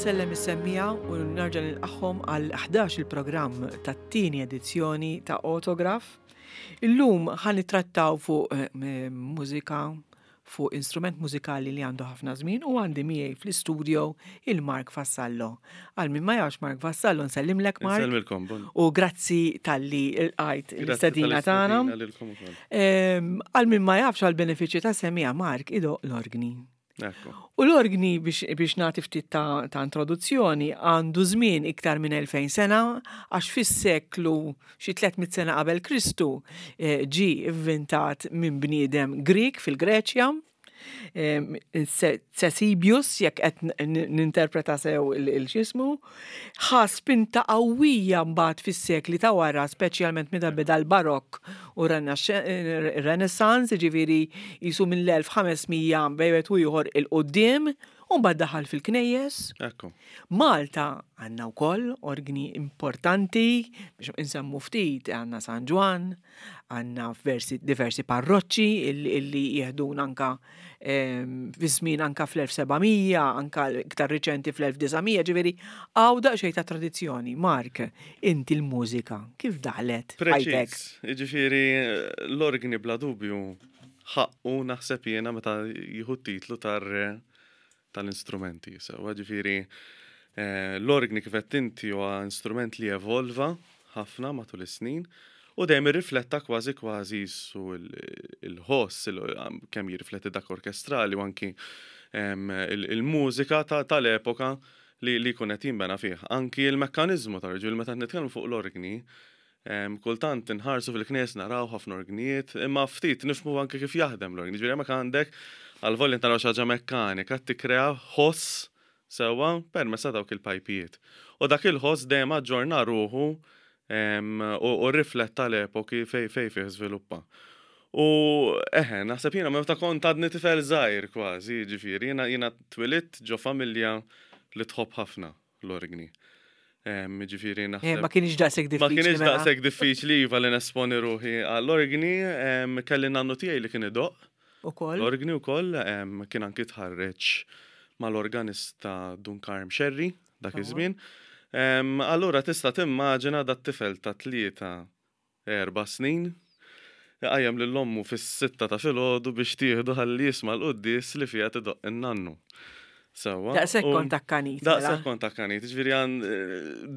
nsellem is-semmiegħa u nerġa' nilqagħhom għal 11 il-programm tat-tieni edizzjoni ta' Autograph. Illum ħa nittrattaw fuq eh, mużika, fuq instrument mużikali li għandu ħafna żmien u għandi miegħi fl-istudio il-Mark Vassallo. Għal min ma jafx Mark Vassallo nsellimlek Mark. Nsellimilkom. Bon. U grazzi talli lqajt l-istedina tagħna. Grazzi lilkom ukoll. Ehm, għal min ma jafx għal benefiċċju ta' semija Mark idoq l-orgni. Ekku. U l-orgni biex, biex nagħti ftit ta', ta' introduzzjoni għandu żmien iktar minn 2000 sena għax fis-seklu xi 300 sena qabel Kristu eh, ġie ivvintat minn bniedem Grieg fil-Greċja. Ctesibius, jekk qed ninterpreta sew il-xismu, ħa spinta qawwija mbagħad fis-sekli ta' wara, speċjalment meta beda l-Barokk u r-Renaissance, jiġifieri qisu mill-1500 bejn wieħed u ieħor 'il quddiem, u mbagħad daħal fil-knejjes. Ekku. Malta għandna wkoll orgni importanti biex insemmu ftit għandna San Ġwann, għandna diversi parroċċi illi jieħdun anka ehm, fi żmien anka fl-1700, anka iktar riċenti fl-1900, ġifieri hawn daqsxejn ta' tradizzjoni. Mark, inti l-mużika kif daħlet? Preċiż, jiġifieri l-orgni bla dubju ħaqqu naħseb jiena meta jieħu t-titlu tar-re tal-instrumenti. Sewwa ġifieri eh, l-orgni kif qed inti huwa instrument li evolva ħafna matul is-snin u dejjem irrifletta kważi kważi su il-ħoss kemm jirrifletti dak orkestrali u anki il-mużika tal-epoka li li jkun qed jinbena fih. Anki il-mekkaniżmu tal-ġifieri meta nitkellmu fuq l-orgni, Kultant inħarsu fil-knejjes naraw ħafna orgnijiet, imma ftit nifhmu anke kif jaħdem l-orgni. Ġifieri hemmhekk għandek għal-volja naraw xi ħaġa mekkanika tikkrea ħoss sewwa permezz ta' dawk il-pajpijiet. U dak il-ħoss dejjem aġġorna ruħu u rrifletta l-epoki fejn fejn fih żviluppa. U eħe, naħseb jiena meta kont għadni tifel żgħir kważi, jiġifieri jiena jiena twilidt ġo familja li tħobb ħafna l-orgni. Ġifieri eh, naħseb. Ma kienx daqshekk diffiċli. Ma kienx mela. daqshekk diffiċli iva li nesponi ruħi għall-orgni, kelli nannu tiegħi li kien idoqq. Ukoll. L-orgni wkoll kien anki tħarreġ mal-organista Dun Karm Scerri dak iż-żmien. Allura tista' timmaġina dat-tifel ta' tlieta 4 snin, iqajjem lil ommu fis-sitta ta' filgħodu biex tieħdu ħalli jisma' l-quddies li fiha tidoqq in-nannu. Sewwa. Daqshekk kont akkanit. Mela. Daqshekk kont akkanit, jiġifieri għan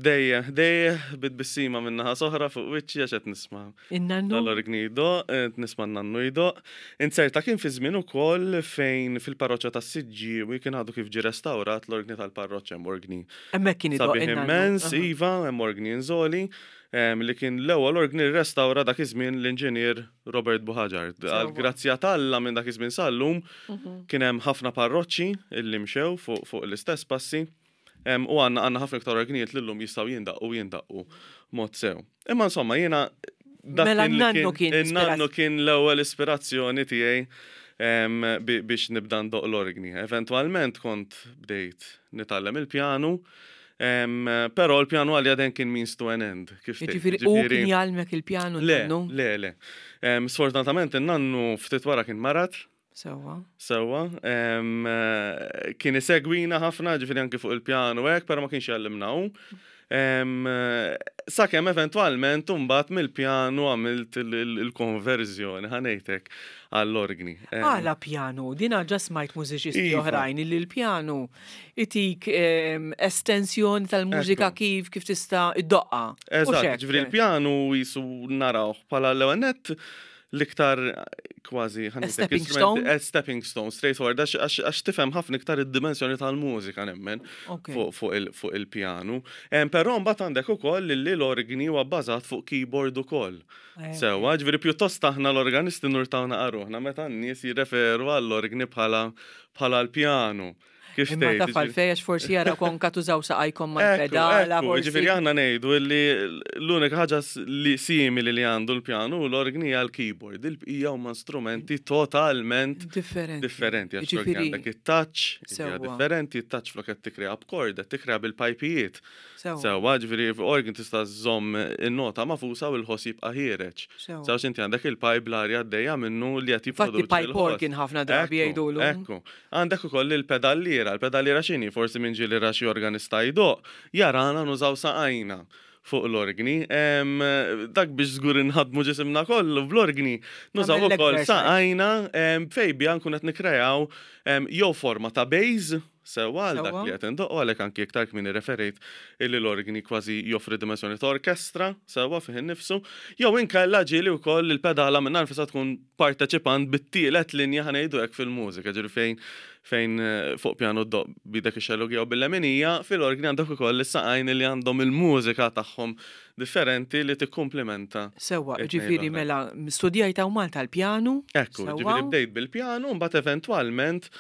dejjem ħdejh bi tbissima minn naħa s'oħra fuq wiċċi għax qed nisma' In-nannu? Tal-orgni jdoqq, qed nisma' n-nannu jdoqq. Inzerta kien fi żmien ukoll fejn fil-parroċċa tas-Siġġiewi kien għadu kif ġie restawrat l-orgni tal-parroċċa hemm orgni Hemmhekk kien idoqq sabiħ in-nannu. immens, iva, hemm orgni inżoli. Li kien l-ewwel orgni li rrestawra dak iż-żmien l-inġinier Robert Buhagiar. Għall-grazzja t'Alla minn dak iż-żmien sal-lum kien hemm ħafna parroċċi li mxew fuq l-istess passi u għandna għandna ħafna iktar orgnijiet li llum jistgħu jindaqqu u jindaqqu mod sew. Imma insomma jiena dak Mela kien li n-nannu kien in-nannu kien l-ewwel ispirazzjoni tiegħi biex nibda ndoqq l-orgni. Eventwalment kont bdejt nitgħallem il-pjanu Però l-pjanu għalija dejjem kien means to an end. Kif tgħid. Jiġifieri hu kien jgħallmek il-pjanu n-nannu? Le, le, le. Sfortunatament in-nannu ftit wara kien marad. Sewwa. Sewwa. Kien isegwina ħafna, ġifieri anki fuq il-pjanu hekk, però ma kienx jgħallimna hu. Sakemm eventwalment imbagħad mill-pjanu għamilt il-konverżjoni, ħa ngħid hekk, għall-orgni. Għala pjanu? Din ġa smajt mużiċisti Iva. oħrajn illi l-pjanu itik estensjoni tal-mużika kif kif tista' iddoqqa. Eżatt, ġifieri l-pjanu jisu narawh bħala l-ewwel nett l-iktar kważi A stepping stone? A stepping stone, straightforward, għax tifhem ħafna iktar id-dimensjoni tal-mużika nemmen fuq il-pjanu. Però mbagħad għandek ukoll li l-orgni huwa bbażat fuq keyboard ukoll. Eh. Sewwa, ġifieri pjuttost aħna l-organisti nurtaw naqaruħna meta n-nies jirreferu għall-orgni bħala l-pjanu. Kif Imma taf għalfej għax forsi jara konka tużaw saqajkom mal-pedala. Ġifieri aħna ngħidu li l-unika ħaġa li simili li għandu l-pjanu u l-orgni hija l-keyboard. Il-bqija huma strumenti totalment differenti. Differenti għax ġifieri għandek it-touch, hija differenti, it-touch flok qed tikkrea b'kord, qed tikkrea bil-pajpijiet. Sewwa, ġifieri organ tista' żżomm in-nota magħfusa u l-ħoss jibqa' ħiereġ. Sewwa inti għandek il-pipe l-arja għaddejja minnu li qed jipproduċi. Infatti pipe organ ħafna drabi jgħidulu. Ekku. Għandek ukoll il-pedalliera. il-pedalliera. Il-pedalliera x'inhi? Forsi min ġieli ra xi organista jdoqq, jarana nużaw saqajna fuq l-orgni. Dak biex żgur inħaddmu ġisimna kollu bl-orgni, nużaw ukoll saqajna fejn biha nkunu qed nikkreaw jew forma ta' bass sewwa għal dak li qed indoqqu għalhekk anki iktar kmieni referejt illi l-orgni kważi joffri dimensjoni ta' orkestra sewwa fih innifsu, jew inkella ġieli wkoll il-pedala minnha nfisha tkun parteċipant bit-tielet linja ħa ngħidu hekk fil-mużika, ġifieri fejn fejn fuq pjanu ddoqq b'idek ix-xellugija u bil-leminija, fil-orgni għandek ukoll is-saqajn li għandhom il-mużika tagħhom differenti li tikkumplimenta. Sewwa, ġifieri mela studjajt hawn Malta l-pjanu. Ekku, ġifieri bdejt bil-pjanu, mbagħad eventwalment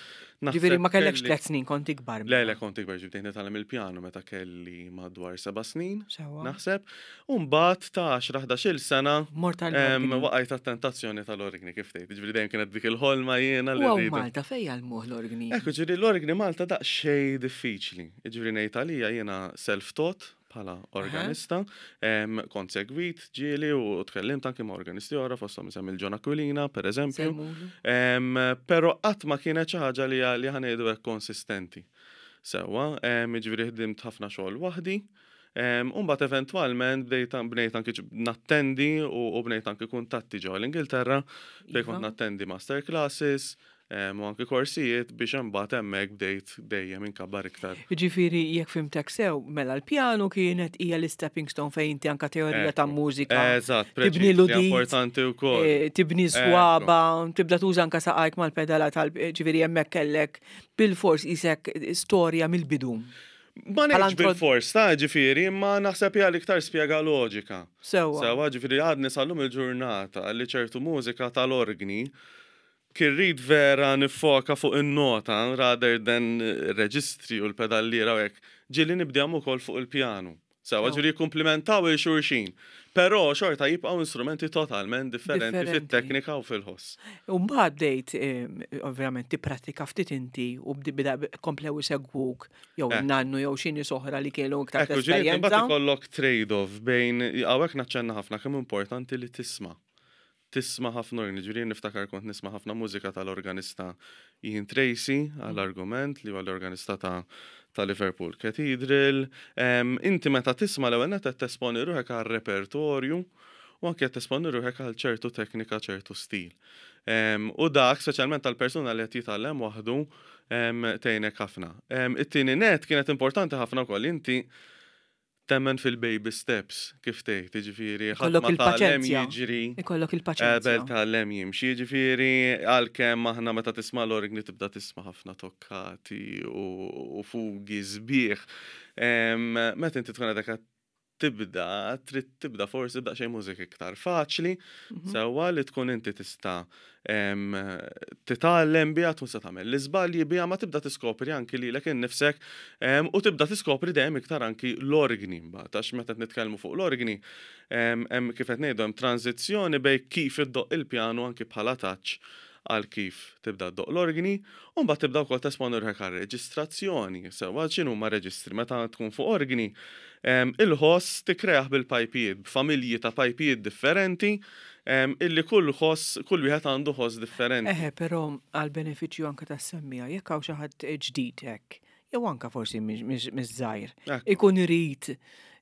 Ġifieri ma kellekx tlet snin kont ikbar. Le, le kont ikbar, ġifieri nitgħallem il-pjanu meta kelli madwar seba' snin. Naħseb. U mbagħad ta' 10-11-il sena waqajt għat-tentazzjoni tal-orgni kif tgħid. Ġifieri dejjem kienet dik il-ħolma jiena li. U Malta fejn jgħallmuh l-orgni? Ekku, ġifieri l-orgni Malta daqsxejn diffiċli. Ġifieri ngħid għalija jiena self-taught bħala organista, kont segwit ġieli u tkellimt anki ma' organisti oħra fosthom insemmi l-John Aquilina per eżempju. Però qatt ma kienet xi ħaġa li li ħa ngħidu hekk konsistenti. Sewwa, jiġifieri ħdimt ħafna xogħol waħdi. U mbagħad eventwalment bdejt bnejt anki nattendi u bnejt anki kuntatti ġewwa l-Ingilterra fejn kont nattendi master classes u anki korsijiet biex imbagħad hemmhekk bdejt dejjem inkabbar iktar. Jiġifieri jekk fhimtek sew, mela l-pjanu kienet hija l-istepping stone fejn inti anke teorija ta' mużika. Eżatt, tibni l-udit. Importanti wkoll. Eh, tibni swaba, tibda tuża anke saqajk mal-pedala tal ġifieri hemmhekk kellek bil-fors isek storja mill-bidu. Ma ngħidx bil-fors ta' ġifieri, imma naħseb hija l-iktar spjega loġika. Sewwa. Sewwa, ġifieri għadni sal-lum il-ġurnata li ċertu mużika tal-orgni kien rrid vera niffoka fuq in-nota rather than ir-reġistri u l-pedalliera u hekk, ġieli nibdihom ukoll fuq il-pjanu. Sewwa, ġifieri jikkumplimentaw 'il xulxin. Però xorta jibqgħu instrumenti totalment differenti fit-teknika u fil-ħoss. U mbagħad bdejt ovvjament tipprattika ftit inti u komplew isegwuk jew in-nannu jew xi nies oħra li kienu iktar esperjenza. Imbagħad ikollok trade-off bejn hawnhekk naċċenna ħafna kemm importanti li tisma'. Tisma' ħafna orgni, ġifieri jien niftakar kont nisma' ħafna mużika tal-organista Ian Tracey għall-argument li huwa l-organista ta' ta' Liverpool Cathedral. Inti meta tisma' l-ewwel nett qed tesponi ruħek għal repertorju u anke qed tesponi ruħek għal ċertu teknika, ċertu stil. U dak, speċjalment għal persuna li qed jitgħallem waħdu, tgħinek ħafna. It-tieni nett kienet importanti ħafna wkoll inti temmen fil-baby steps, kif tgħid, jiġifieri ħadd ma tgħallem jiġri. Ikollok il-paċenzja. Qabel tgħallem jimxi, jiġifieri għalkemm aħna meta tisma' l-orgni tibda tisma' ħafna tokkati u fugi sbieħ. Meta inti tkun għadek tibda, trid tibda forsi b'daqsxejn mużika iktar faċli, sewwa li tkun inti tista' titgħallem biha, tkun se tagħmel l-iżbalji biha, ma tibda tiskopri anki lilek innifsek u tibda tiskopri dejjem iktar anki l-orgni mbagħad, għax meta qed nitkellmu fuq l-orgni, hemm kif qed ngħidu hemm tranżizzjoni bejn kif iddoqq il-pjanu anki bħala touch għal kif tibda ddoqq l-orgni, u mbagħad tibda wkoll tesponi ruħek għal reġistrazzjoni, sewwa x'inhuma reġistri meta tkun fuq orgni, il-ħoss tikkreah bil-pajpijiet, b'familji ta' pajpijiet differenti, Illi kull ħoss, kull wieħed għandu ħoss differenti. Eħe, però għall-benefiċċju anke tas-semmiegħa, jekk hawn xi ħadd ġdid hekk, jew anke forsi miż-żgħir, ikun irid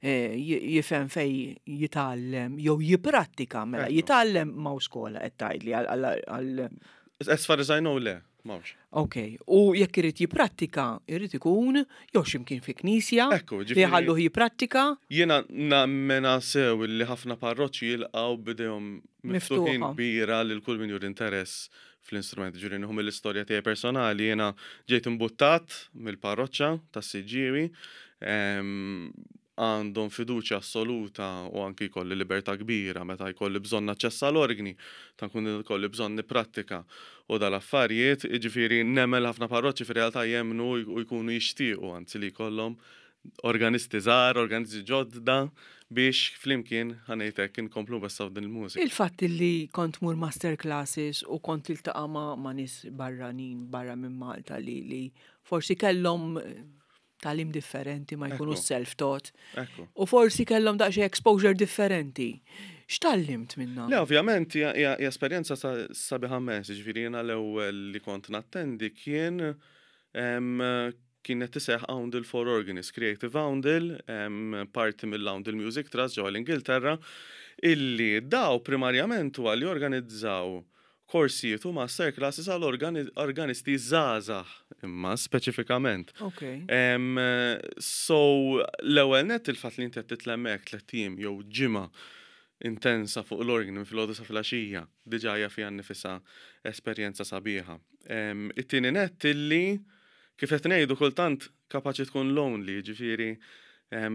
eh, jifhem fej jitgħallem jew jipprattika mela jitgħallem m'hawn skola qed tgħidli għal As far as I know le. M'hawnx. Ok, u jekk irid jipprattika, irid ikun jew x'imkien fi knisja. Ekku, ġifieri. Li jħalluh jipprattika. Jiena nammena sew li ħafna parroċċi jilqgħu b'idejhom miftuħin kbira lil kull min juri interess fl-instrument. Ġifieri nieħu mill-istorja tiegħi personali, jiena ġejt imbuttat mill-parroċċa tas-Siġġiewi għandhom fiduċja assoluta u anki jkolli libertà kbira meta jkolli bżonn naċċessa l-orgni, ta' nkun ikolli bżonn nipprattika u dal-affarijiet, jiġifieri nemmen li ħafna parroċċi fir-realtà jemmnu u jkunu jixtiequ anzi li jkollhom organisti żgħar, organisti ġodda biex flimkien, ħa ngħid hekk, inkomplu nwessgħu din il-mużika. Il-fatt li kont tmur master classes u kont tiltaqa' ma' nies barranin barra minn Malta li forsi kellhom tagħlim differenti ma jkunux self-taught. U forsi kellhom daqsxejn exposure differenti. X'tgħallimt minnha? Le, ovvjament hija esperjenza sabiħa immens, jiġifieri jiena l-ewwel li kont nattendi kien Kienet iseħħ Oundle for Organists, Creative Oundle, parti mill-Oundle Music Trust ġewwa l-Ingilterra, illi daw primarjament huwa li jorganizzaw korsijiet u master classes għal organisti żgħażagħ imma speċifikament. Okay. So l-ewwel nett il-fatt li inti qed titla' hemmhekk tlett ijiem jew ġimgħa intensa fuq l-orgni minn filgħodu sa filgħaxija, diġà hija fiha nnifisha esperjenza sabiħa. It-tieni nett illi kif qed ngħidu kultant kapaċi tkun lonely, jiġifieri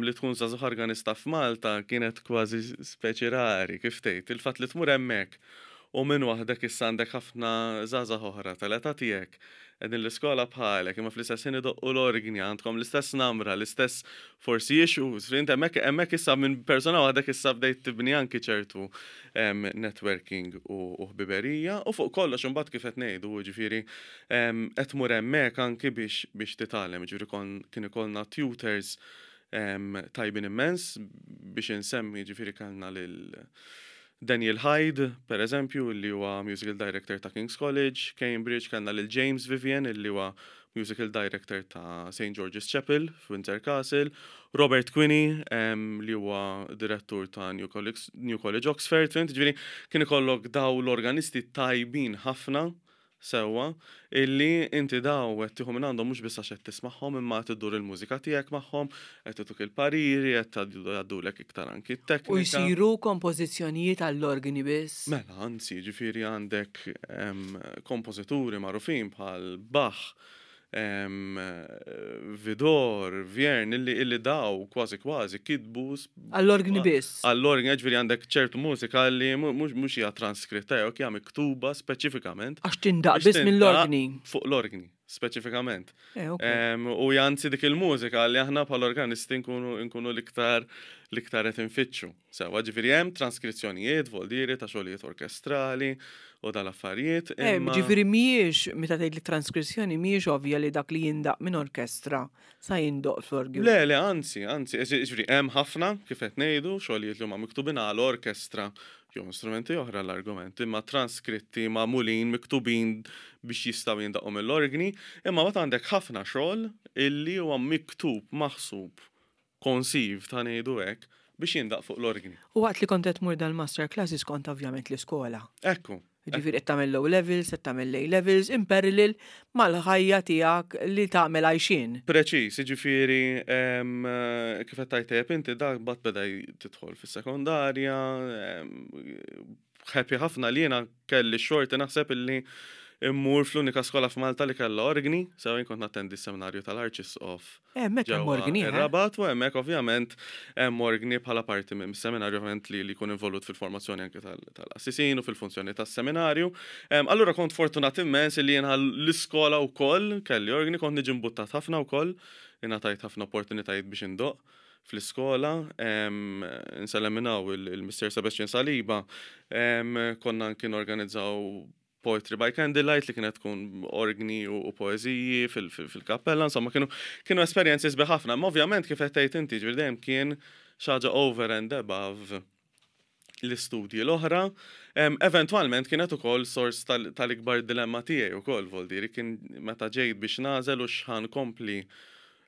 li tkun żagħżugħ organista f'Malta kienet kważi speċi rari, kif tgħid. Il-fatt li tmur hemmhekk u minn waħdek issa għandek ħafna żgħażagħ oħra tal-età tiegħek qegħdin l-iskola bħalek, imma fl-istess ħin idoqqu l-orgni, għandkom l-istess namra, l-istess forsi issues. Fint hemmhekk hemmhekk issa minn persuna waħdek issa bdejt tibni anki ċertu networking u ħbiberija u fuq kollox imbagħad kif qed ngħidu, jiġifieri qed tmur hemmhekk anki biex biex titgħallem, jiġifieri kien ikollna tutors tajbin immens biex insemmi jiġifieri kellna lil Daniel Hyde, per eżempju, li huwa musical director ta' King's College, Cambridge, kellna lil James Vivian, li huwa musical director ta' St. George's Chapel f'Windsor Castle, Robert Quinney, li huwa direttur ta' New College, New College Oxford, fhimt? Ġifieri kien ikollok daw l-organisti tajbin ħafna Sewwa, illi inti daw qed tieħu minn għandhom mhux biss għax qed tismagħhom imma qed iddur il-mużika tiegħek magħhom, qed ituk il-pariri, qed jgħaddulek iktar anki t-teknika. U jsiru kompożizzjonijiet għall-orgni biss? Mela, anzi, jiġifieri għandek kompożituri magħrufin bħal Bach, Widor, Vierne, illi illi daw kważi kważi kitbu Għall-orgni biss. Għall-orgni, ġifieri għandek ċertu mużika li mhux hija transkritta jew hija miktuba speċifikament. Għax tindaq biss mill-orgni. Fuq l-orgni, speċifikament. Eh, u anzi dik il-mużika li aħna bħal organisti nkunu l-iktar l-iktar qed infittxu. Sewwa, ġifieri hemm transkrizzjonijiet, voldieri ta' xogħlijiet orkestrali u dal-affarijiet. Eh, ġifieri mhijiex meta tgħid li transkrizzjoni mhijiex ovvja li dak li jindaq minn orkestra sa jindoq fl-orgju. Le, le, anzi, anzi, ġifieri hemm ħafna kif qed ngħidu xogħlijiet li huma miktubin għal orkestra jew strumenti oħra l-argument, imma transkritti magħmulin miktubin biex jistgħu jindaqqu mill-orgni, imma mbagħad għandek ħafna xogħol illi huwa miktub maħsub conceived, ħa ngħidu hekk, biex jindaqq fuq l-orgni. U waqt li kont qed tmur dal-master classes kont ovvjament l-iskola. Ekku. Ġifieri qed tagħmel l-O levels, qed tagħmel l-A levels in parallel mal-ħajja tiegħek li tagħmel għajxien. Preċiż, jiġifieri kif qed tgħid tajjeb inti dak mbagħad beda tidħol fis-sekondarja, happy ħafna li jiena kelli x-xorti naħseb illi immur fl-unika skola f'Malta li kellha orgni, sew jien kont nattendi s-seminarju tal-Arċisqof. Eh, hemmhekk hemm orgni. Eh? Ir-Rabat u hemmhekk ovvjament hemm orgni bħala parti minn seminarju ovvjament li jkun involut fil-formazzjoni anke tal-qassisin u fil-funzjoni tas-seminarju. Allura kont fortunat immens li jiena l-iskola wkoll kelli orgni, kont niġi mbuttat ħafna wkoll, ingħatajt ħafna opportunitajiet biex indoqq. fl-iskola, insellem minn hawn il-Mister Sebastian Saliba, konna anki norganizzaw Poetry by Candlelight li kienet tkun orgni u poeżiji fil-kappella, insomma kienu kienu esperjenzi sbieħ ħafna. Imma ovvjament kif qed tgħid inti, ġifieri dejjem kien xi ħaġa over and above l-istudji l-oħra. Eventwalment kienet ukoll sors tal-ikbar dilemma tiegħi ukoll, voldieri kien meta ġejt biex nagħżel u x'ħa nkompli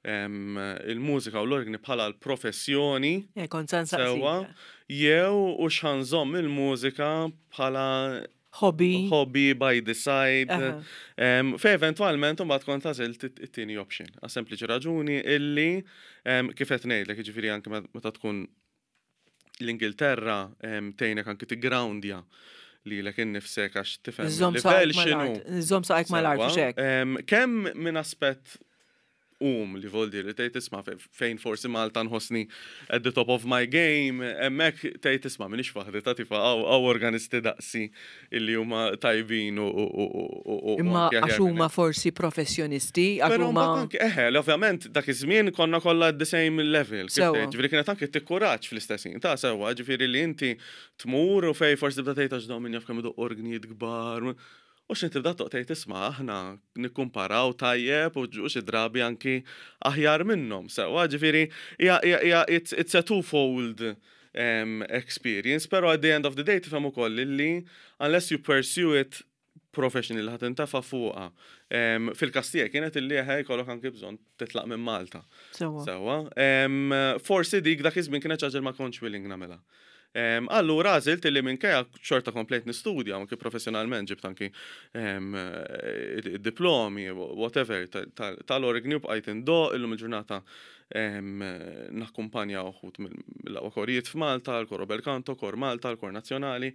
il-mużika u l-orgni bħala l-professjoni. Eh, kont sa nsaqsik. Sewwa, jew u x'ħa nżomm il-mużika bħala Hobby. Hobby by the side. Fej eventwalment imbagħad kont għażilt it-tieni option. Għas sempliċi raġuni illi kif qed ngħidlek, jiġifieri anke meta tkun l-Ingilterra tgħinek anki tiggroundja lilek innifsek għax tifhem il-livell x'inhu. Żomm saqajk mal-art u xek. Kemm minn aspett um li voldi li tgħid isma' fejn forsi Malta nħossni at the top of my game, hemmhekk tgħid isma' m'iniex waħdi ta' tifa hawn organisti daqsi illi huma tajbin u Imma għax huma forsi professjonisti, għax huma. Eħe, ovvjament dak iż-żmien konna kollha at the same level. Ġifieri kienet anke tikkuraġġ fl-istess ħin. Ta' sewwa, ġifieri li inti tmur u fej forsi tibda tgħid għax dawn min jaf kemm idoqqu orgnijiet kbar. U x'in tibda toq tgħid isma' aħna nikkumparaw tajjeb u xi drabi anki aħjar minnhom. Sewwa, ġifieri hija it's a twofold experience, pero at the end of the day tifhem ukoll illi unless you pursue it profession li ħa tintefa' fuqha. Fil-każ tiegħi kienet illi eħe jkollok anki bżonn titlaq minn Malta. Sewwa. Sewwa. Forsi dik dak iż-żmien kienet xi ħaġa li ma kontx willing nagħmilha. Allura għażilt illi minkejja xorta komplejt nistudja anki professjonalment ġibt anki diplomi, whatever, tal-orgni u bqajt indoqq illum il-ġurnata nakkumpanja uħud mill-aqwa korijiet f'Malta, l-Koro Bel Canto, Kor Malta, l-Kor Nazzjonali.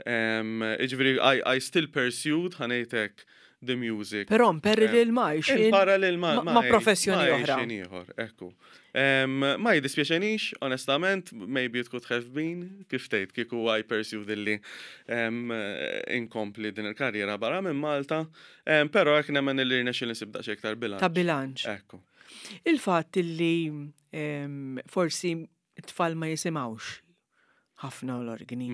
Jiġifieri I still pursued, ħa ngħid hekk, the music. Però in parallel ma' għajxien. In parallel ma' ma' professjoni oħra. Ma' għajxien ieħor, ekku. Ma jiddispjaċenix, onestament, maybe it could have been, kif tgħid, kieku I pursued illi inkompli din il-karriera barra minn Malta, però hekk nemmen illi rnexxieli nsib daqsxejn iktar bilanċ. Ta' bilanċ. Ekku. Il-fatt illi forsi t-tfal ma jisimgħux ħafna l-organi.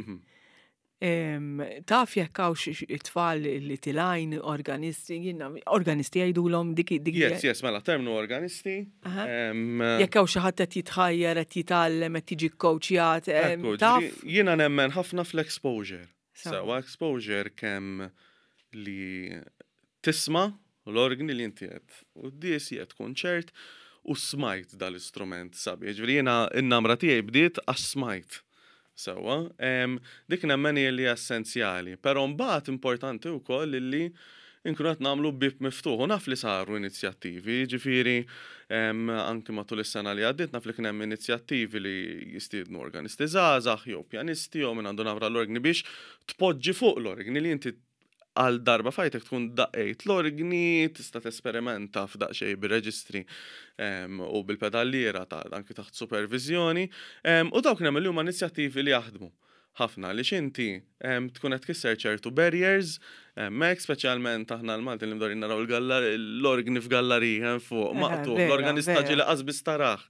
Taf jekk hawnx it-tfal li tilgħin organisti, jiena organisti jgħidulhom dik dik. Yes, yes, mela terminu organisti. Jekk hawn xi ħadd qed jitħajjar, qed jitgħallem, qed jiġi kkoċjat, taf? Jiena nemmen ħafna fl-exposure. Sewa exposure kemm li tisma' l-organi li inti qed quddiesi, qed kunċert u smajt dal-istrument sabiħ. Ġifieri jiena n-namra tiegħi bdiet għax smajt. Sewwa, dik nemmen hi li essenzjali, però mbagħad importanti wkoll illi nkunu qed nagħmlu bieb miftuħ u naf li saru inizjattivi, jiġifieri anki matul is-sena li għaddiet naf li kien hemm inizjattivi li jistiednu organisti żgħażagħ jew pjanisti jew min għandu namra l-organi biex tpoġġi fuq l-organi li inti għal darba f'ħajtek tkun daqqejt l-orgni, tista' tesperimenta f'daqsxejn bir-reġistri u bil-pedalliera ta' anki taħt superviżjoni. U dawk nemmen li huma inizjattivi li jaħdmu ħafna għaliex inti tkun qed tkisser ċertu barriers hemmhekk, speċjalment aħna l-Maltin li mdorrijin naraw l-orgni f'gallarija hemm fuq maqtugħ, l-organista ġieli qas biss tarah.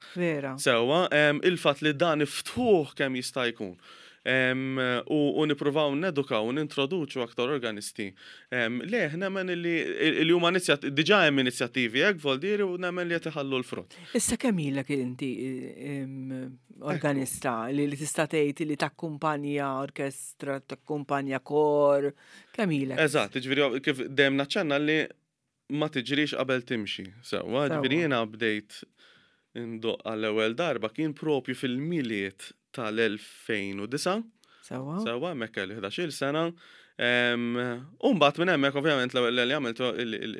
Sewwa, il-fatt li dan iftħuh kemm jista' jkun. U nippruvaw nedukaw u nintroduċu aktar organisti. Le, nemmen li huma diġà hemm inizjattivi hekk voldieri u nemmen li qed iħallu l-frott. Issa kemm ilek inti organista li tista' tgħid li takkumpanja orkestra, takkumpanja kor, kemm ilek? Eżatt, jiġifieri kif dejjem naċċenna li ma tiġrix qabel timxi. Sewwa, ġifieri jiena bdejt indoqq għall-ewwel darba kien propju fil-Milied tal-2009. Sewwa. Sewwa, hemmhekk kelli 11-il sena. U mbagħad minn hemmhekk ovvjament l-ewwel li għamilt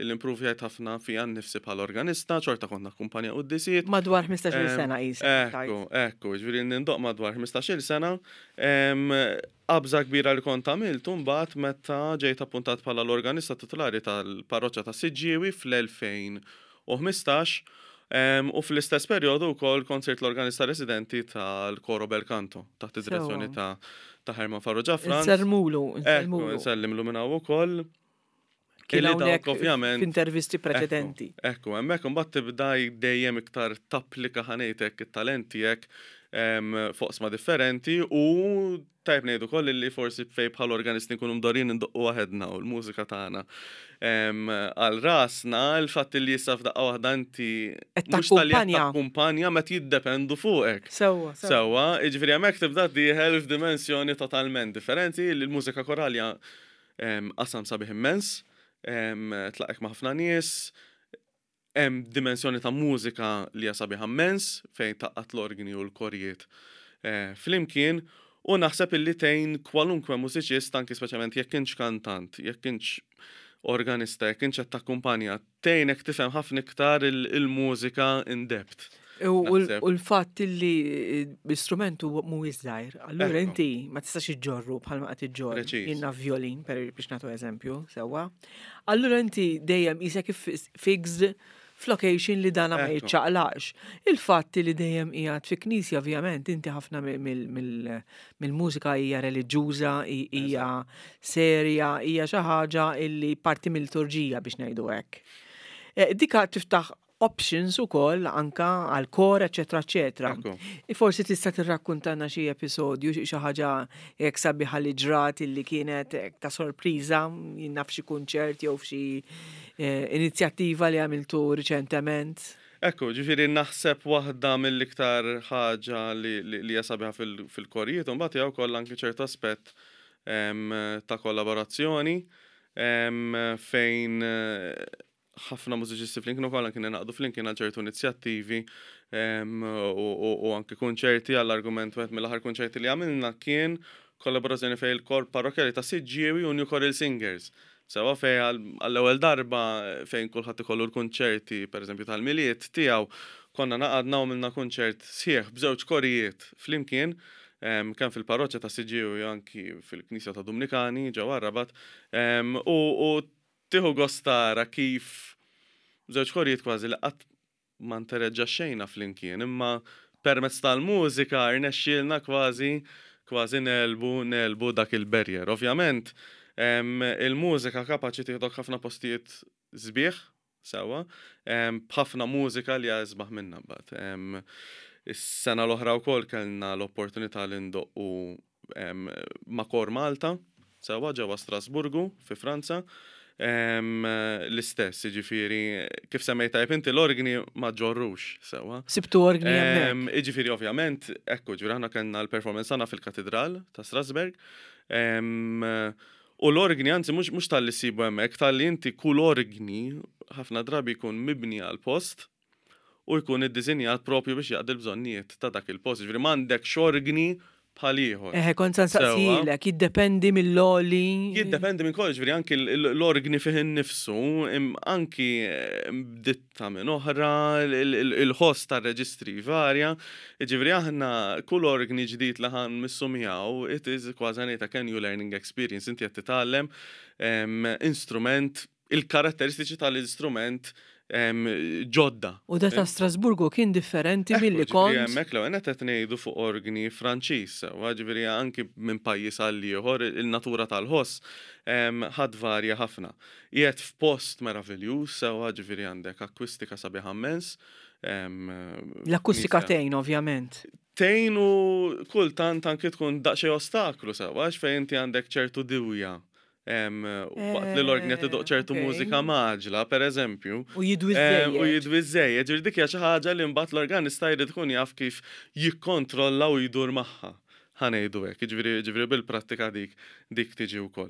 l-improvjajt ħafna fija nnifsi bħala organista, xorta kont nakkumpanja quddisiet. Madwar 15-il sena qisek. Ekku, ekku, ġifieri nindoqq madwar 15-il sena. Qabża kbira li kont għamilt imbagħad meta ġejt appuntat bħala l-organista titulari tal-parroċċa ta' Siġġiewi fl-2015 u fl-istess perjodu wkoll kont sirt l-organista residenti tal-Coro Bel Canto taħt id-direzzjoni ta' Herman Farrugia Franz. Insellmulu, insellmulu. Ekku, insellimlu minn hawn ukoll. Kien hawnhekk ovvjament f'intervisti preċedenti. Ekku, hemmhekk imbagħad tibda dejjem iktar tapplika ħanejtek it-talent tiegħek f'oqsma differenti u tajb ngħidu koll li forsi fej bħal organisti nkunu mdorin indoqqu waħedna u l-mużika tagħna. Għal rasna il-fatt li issa f'daqqa waħda inti mhux tal-li takkumpanja meta jiddependu fuqek. Sewwa. Sewwa, jiġifieri hemmhekk tibda dieħel f'dimensjoni totalment differenti li l-mużika koralja Qasam sabiħ immens, tlaqek ma' ħafna nies, hemm dimensjoni ta' mużika li hija sabiħa immens fejn tgħaqqad l-orgni u l-korijiet flimkien u naħseb illi tgħin kwalunkwe mużiċist anki speċjalment jekk intx kantant, jekk intx organista, jekk intx qed takkumpanja, tgħinek tifhem ħafna iktar il-mużika in depth. U l-fatt li l-istrument mhuwiex żgħir, allura inti ma tistax iġġorru bħalma qed iġġorr. Jiena violin, per biex nagħtu eżempju, sewwa. Allura inti dejjem qisek fixed f'location li dana ma jiċċaqlaqx. Il-fatt li dejjem qiegħed fi knisja ovvjament inti ħafna mill-mużika hija reliġjuża, hija serja, hija xi ħaġa illi parti mill-liturġija biex ngħidu hekk. Eh, dika tiftaħ options ukoll anka għal kor, eċetera, eċetera. Forsi tista' tirrakkuntana xi episodju, xi ħaġa hekk sabiħa li ġrat illi kienet ta' sorpriża, naf xi kunċert jew f'xi eh, inizjattiva li għamiltu riċentement. Ekku, ġifiri naħseb waħda mill-iktar ħaġa li hija sabiħa fil-korijiet, u mbagħad hija wkoll anki ċertu aspett ta' kollaborazzjoni. fejn ħafna mużiċisti flimkien ukoll anki ningħaqdu flimkien għal ċertu inizjattivi u anki kunċerti. Għall-argument, wieħed mill-aħħar kunċerti li għamilna kien kollaborazzjoni fejn il-kor parrokkjali ta' Siġġiewi u New Choral Singers. Sewa fejn għall-ewwel darba fejn kulħadd ikollu l-kunċerti, pereżempju tal-Milied tiegħu, konna ngħaqadna u għamilna kunċert sħiħ b'żewġ korijiet flimkien, kemm fil-parroċċa ta' Siġġiewi u anki fil-Knisja ta' Dumnikani ġewwa r-Rabat, u tieħu gost tara kif żewġ korijiet kważi li qatt ma ntereġġaxxejna flimkien, imma permezz tal-mużika rnexxielna kważi kważi negħlbu negħlbu dak il-barrier. Ovvjament, il-mużika kapaċi tieħdok ħafna postijiet sbieħ, sewwa, b'ħafna mużika li hija isbaħ minnha mbagħad. Is-sena l-oħra wkoll kellna l-opportunità li ndoqqu ma' Kor Malta, sewwa, ġewwa Strasburgu fi Franza. L-istess, jiġifieri, kif semmejt tajjeb inti, l-orgni ma ġorrux, sewwa. Sibtu orgni hemmhekk. Jiġifieri ovvjament, ekku, ġifieri aħna kellna l-performance tagħna fil-Katidral ta' Strasburg. U l-orgni, anzi mhux talli ssibu hemmhekk, talli inti kull orgni ħafna drabi jkun mibni għal post u jkun iddisinjat propju biex jaqdi l-bżonnijiet ta' dak il-post. Ġifieri m'għandekx orgni bħal ieħor. Eħe, kont se nsaqsilek, jiddependi mill-għoli. Jiddependi minn kollox, ġifieri anki l-orgni fih innifsu, anki b'ditta minn oħra, il-ħoss tar-reġistri varja. Ġifieri aħna kull orgni ġdid li ħa nmissu miegħu, it is kważi ngħidlek a new learning experience, inti qed titgħallem instrument, il-karatteristiċi tal-istrument ġodda. U da ta' Strasburgu kien differenti milli kont. Hemmhekk l-ewwel nett qed ngħidu fuq orgni Franċiż, sewwa, ġifieri anki minn pajjiż għal ieħor il-natura tal-ħoss ħa tvarja ħafna. Qiegħed f'post meraviljuż, sewwa, ġifieri għandek akwistika sabiħa immens. L-akustika tgħin ovvjament. Tgħin u kultant anki tkun daqsxejn ostaklu, sewwa, għax fejn inti għandek ċertu diwja waqt li l-orgni qed idoqq ċertu mużika mgħaġġla, per eżempju. U jidwi żejjed. U jidwi żejjed, ġifieri dik hija xi ħaġa li mbagħad l-organista jrid ikun jaf kif jikkontrolla u jdur magħha. Ħa ngħidu hekk, jiġifieri bil-prattika dik dik tiġi wkoll.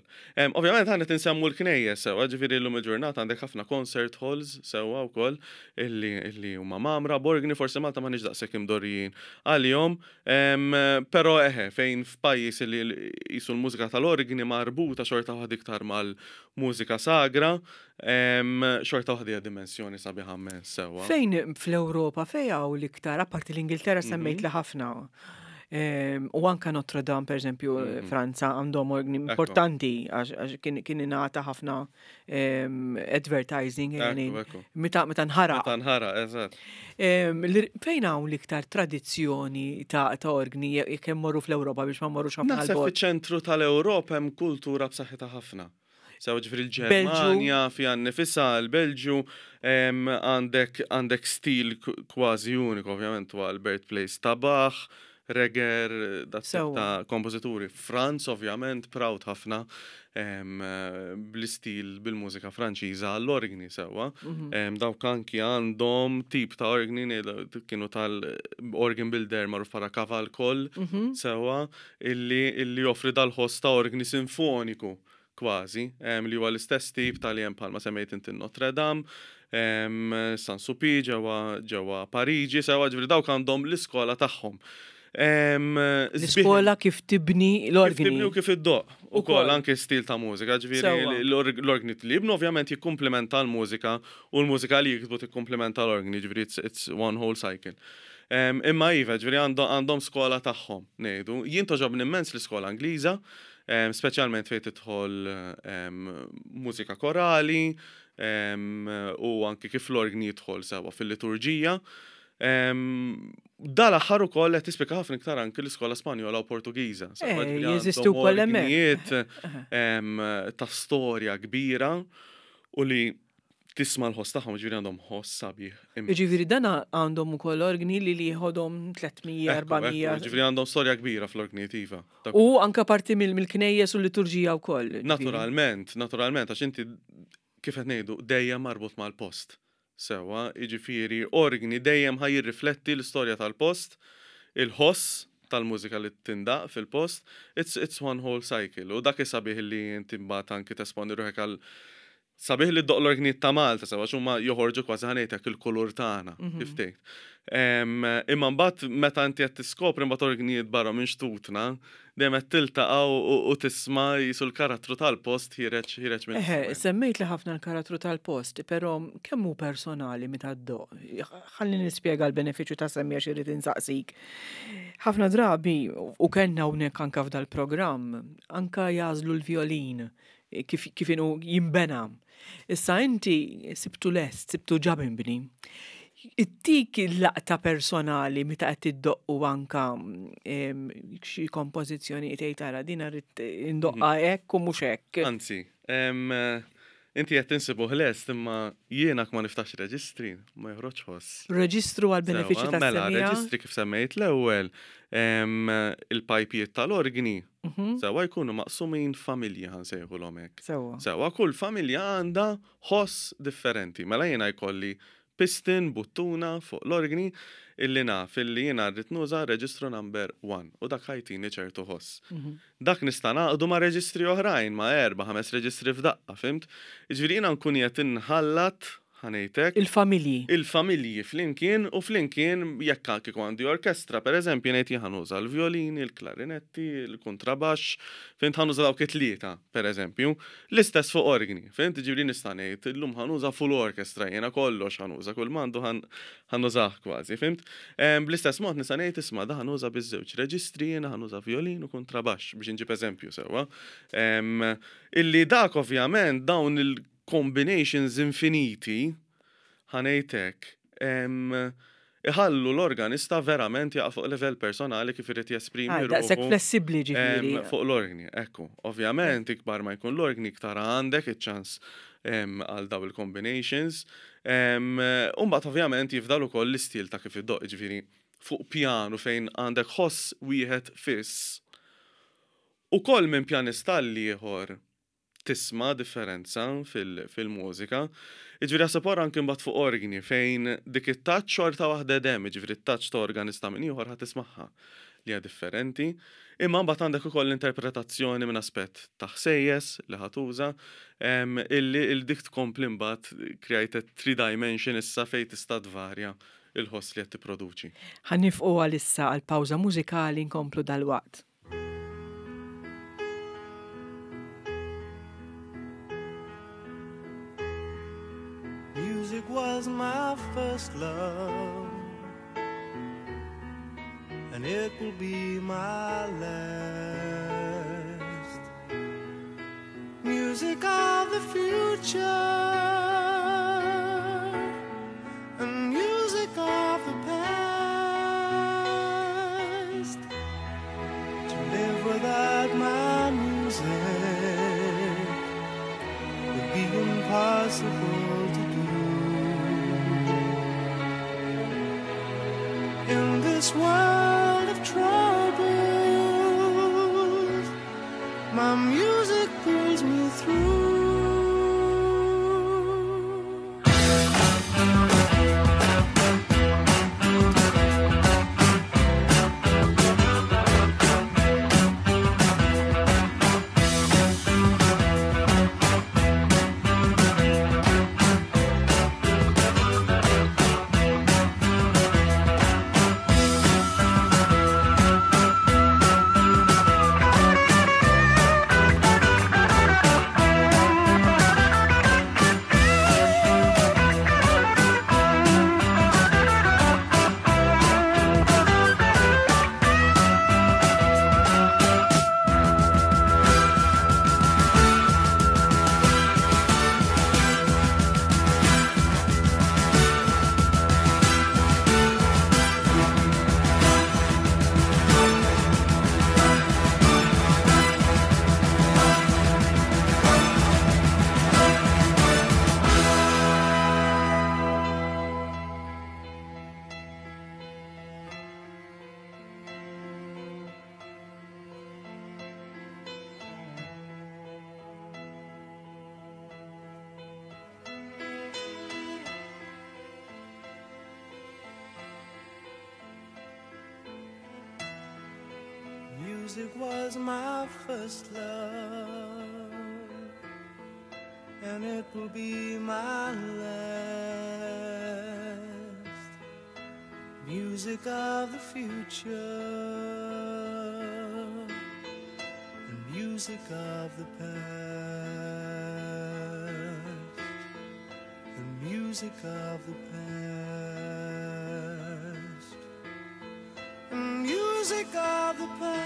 Ovvjament aħna qed insemmu l-knejjes sewwa, ġifieri llum il-ġurnata għandek ħafna concert halls sewwa wkoll illi illi huma mgħammra b'orgni, forsi Malta m'aħniex daqshekk imdorrijin għalihom, Però eħe, fejn f'pajjiż li qisu l-mużika tal-orgni marbuta xorta waħda iktar mal-mużika sagra, xorta waħda hija dimensjoni sabiħa immens sewwa. Fejn fl-Ewropa, fejn hawn l-iktar, apparti l-Ingilterra semmejt li ħafna, u anka Notre Dame, per eżempju, Franza għandhom orgni importanti għax kien ingħata ħafna advertising, meta meta nħaraq. Meta nħaraq, eżatt. Fejn hawn l-iktar tradizzjoni ta' orgni jekk immorru fl-Ewropa biex ma mmorrux ħafna? Naħseb fiċ-ċentru tal-Ewropa hemm kultura b'saħħitha ħafna. Sew ġifieri l-Ġermanja fiha nnifisha, l-Belġju, għandek għandek stil kważi uniku, ovvjament huwa l-birthplace ta' Bach, Reger, dat ta' kompożituri. Franz, ovvjament, proud ħafna bl-istil bil-mużika Franċiża għall-orgni sewwa. Dawk anki għandhom tip ta' orgni kienu tal-organ builder magħruf bħala Cavalcol sewwa illi illi joffri dal-ħoss ta' orgni sinfoniku kważi, li huwa l-istess tip ta' li hemm bħalma semmejt inti Notre Dame, San Sulpice ġewwa ġewwa Pariġi, sewwa ġifieri dawk għandhom l-iskola tagħhom. L-iskola kif tibni l-orgni. Kif tibni u kif iddoqq. Ukoll anke stil ta' mużika, ġifieri l-orgni li jibnu ovvjament jikkumplimenta l-mużika u l-mużika li jiktbu tikkumplimenta l-orgni, ġifieri it's one whole cycle. Imma iva, ġifieri għandhom skola tagħhom, ngħidu. Jien togħġobni immens l-iskola Ingliża, speċjalment fejn tidħol mużika korali u anki kif l-orgni jidħol sewwa fil-liturġija. Dal-aħħar ukoll qed tispikka ħafna iktar anki l-iskola Spanjola u Portugiża. Jeżistu wkoll hemmhekk. Ta' storja kbira u li tisma' l-ħoss tagħhom, ġifieri għandhom ħoss sabiħ. Jiġifieri dan għandhom ukoll orgni li li jieħodhom 300, 400. Ġifieri għandhom storja kbira fl-orgnijiet iva. U anke parti mill-knejjes u l-liturġija wkoll. Naturalment, naturalment, għax inti kif qed ngħidu dejjem marbut mal-post. Sewwa, jiġifieri orgni dejjem ħa jirrifletti l-istorja tal-post, il-ħoss. tal-mużika li tindaq fil-post, it's, it's one whole cycle. U dak sabiħ li inti mbagħad anki tesponi ruħek għal sabiħ li ddoqq l-orgnijiet ta' Malta, sewa huma joħorġu kważi ħa ngħidlek il-kulur tagħna, kif tgħid. Imma mbagħad meta inti qed tiskopri mbagħad orgnijiet barra minn xtutna, dejjem qed tiltaqa' u tisma' jisu l-karattru tal-post ħiereġ ħiereġ minn. Eħe, semmejt li ħafna l-karattru tal-post, però kemm hu personali meta ddoqq? Ħalli nispjega l-benefiċċju ta' semmija xi rrid insaqsik. Ħafna drabi, u kellna hawnhekk anka f'dal-programm, anka jagħżlu l-vjolin kif kif inhu jinbena. Issa inti sibtu lest, sibtu ġa minbni. Ittik il-laqta personali meta qed iddoqqu anka xi kompożizzjoni tgħid tara din rrid indoqqa hekk u mhux hekk. Anzi, inti qed tinsibuh lest imma jiena ma niftax reġistri, ma joħroġ ħoss. Reġistru għal benefiċċju Sewwa, mela, tas-semmiegħa. reġistri kif semmejt l-ewwel, il-pajpijiet tal-organi, sewwa jkunu maqsumin familji ħa nsejħulhom hekk. Sewwa, kull familja għandha ħoss differenti. Mela jiena jkolli piston, buttuna fuq l-organi illi naf illi jiena rrid nuża reġistru number 1 u dak ħa jtini ċertu ħoss. Dak nista' naqdu ma' reġistri oħrajn, ma' erba', ħames reġistri f'daqqa, fhimt? Jiġifieri jiena nkun qed inħallat ħa ngħidlek. Il-familji. Il-familji flimkien u flimkien jekk kieku għandi orkestra, per eżempju, ngħid jien ħa nuża l-violini, il-klarinetti, il-kontrabaxx, fhimt ħa nuża dawk it-tlieta, per eżempju. L-istess fuq organi, fhimt ġifieri nista' ngħid illum ħa nuża full orchestra, jiena kollox ħa nuża, kull m'għandu ħa nużah kważi, fhimt? Bl-istess mod nista' ngħid isma' da ħa nuża biż-żewġ reġistri, jiena ħa nuża violin u kontrabaxx biex inġib eżempju sewwa. Illi dak ovvjament dawn il-combinations infiniti ħa ngħidlek iħallu l-organista verament jaqa' fuq livell personali kif irid jesprimi Ah, daqshekk ruħu flessibbli ġifieri. fuq l-organi, ekku. Ovvjament, ikbar ma jkun l-organi, iktar għandek iċ-ċans għal daw il-combinations. Umbagħad ovvjament jifdal ukoll l-istil ta' kif iddoq, ġifieri fuq pjanu fejn għandek ħoss wieħed fiss. Ukoll minn pjanista l-ieħor tisma' differenza fil-mużika. Jiġifieri ħaseb ora anke mbagħad fuq organi fejn dik it-touch xorta waħda hemm, jiġifieri it-touch ta' organista minn ieħor ħa tismagħha li hija differenti. Imma mbagħad għandek ukoll l-interpretazzjoni minn aspett ta' ħsejjes li ħa tuża, illi il dik tkompli mbagħad create a three dimension issa fejn tista' tvarja il-ħoss li qed tipproduċi. Ħa nieqfu għalissa għal pawża mużikali nkomplu dalwaqt. Music was my first love, and it will be my last. Music of the future and music of the past. To live without my music would be impossible to do. In this world of troubles, my music pulls me through. Music was my first love, and it will be my last. Music of the future, and music of the past, the music of the past, the music of the past.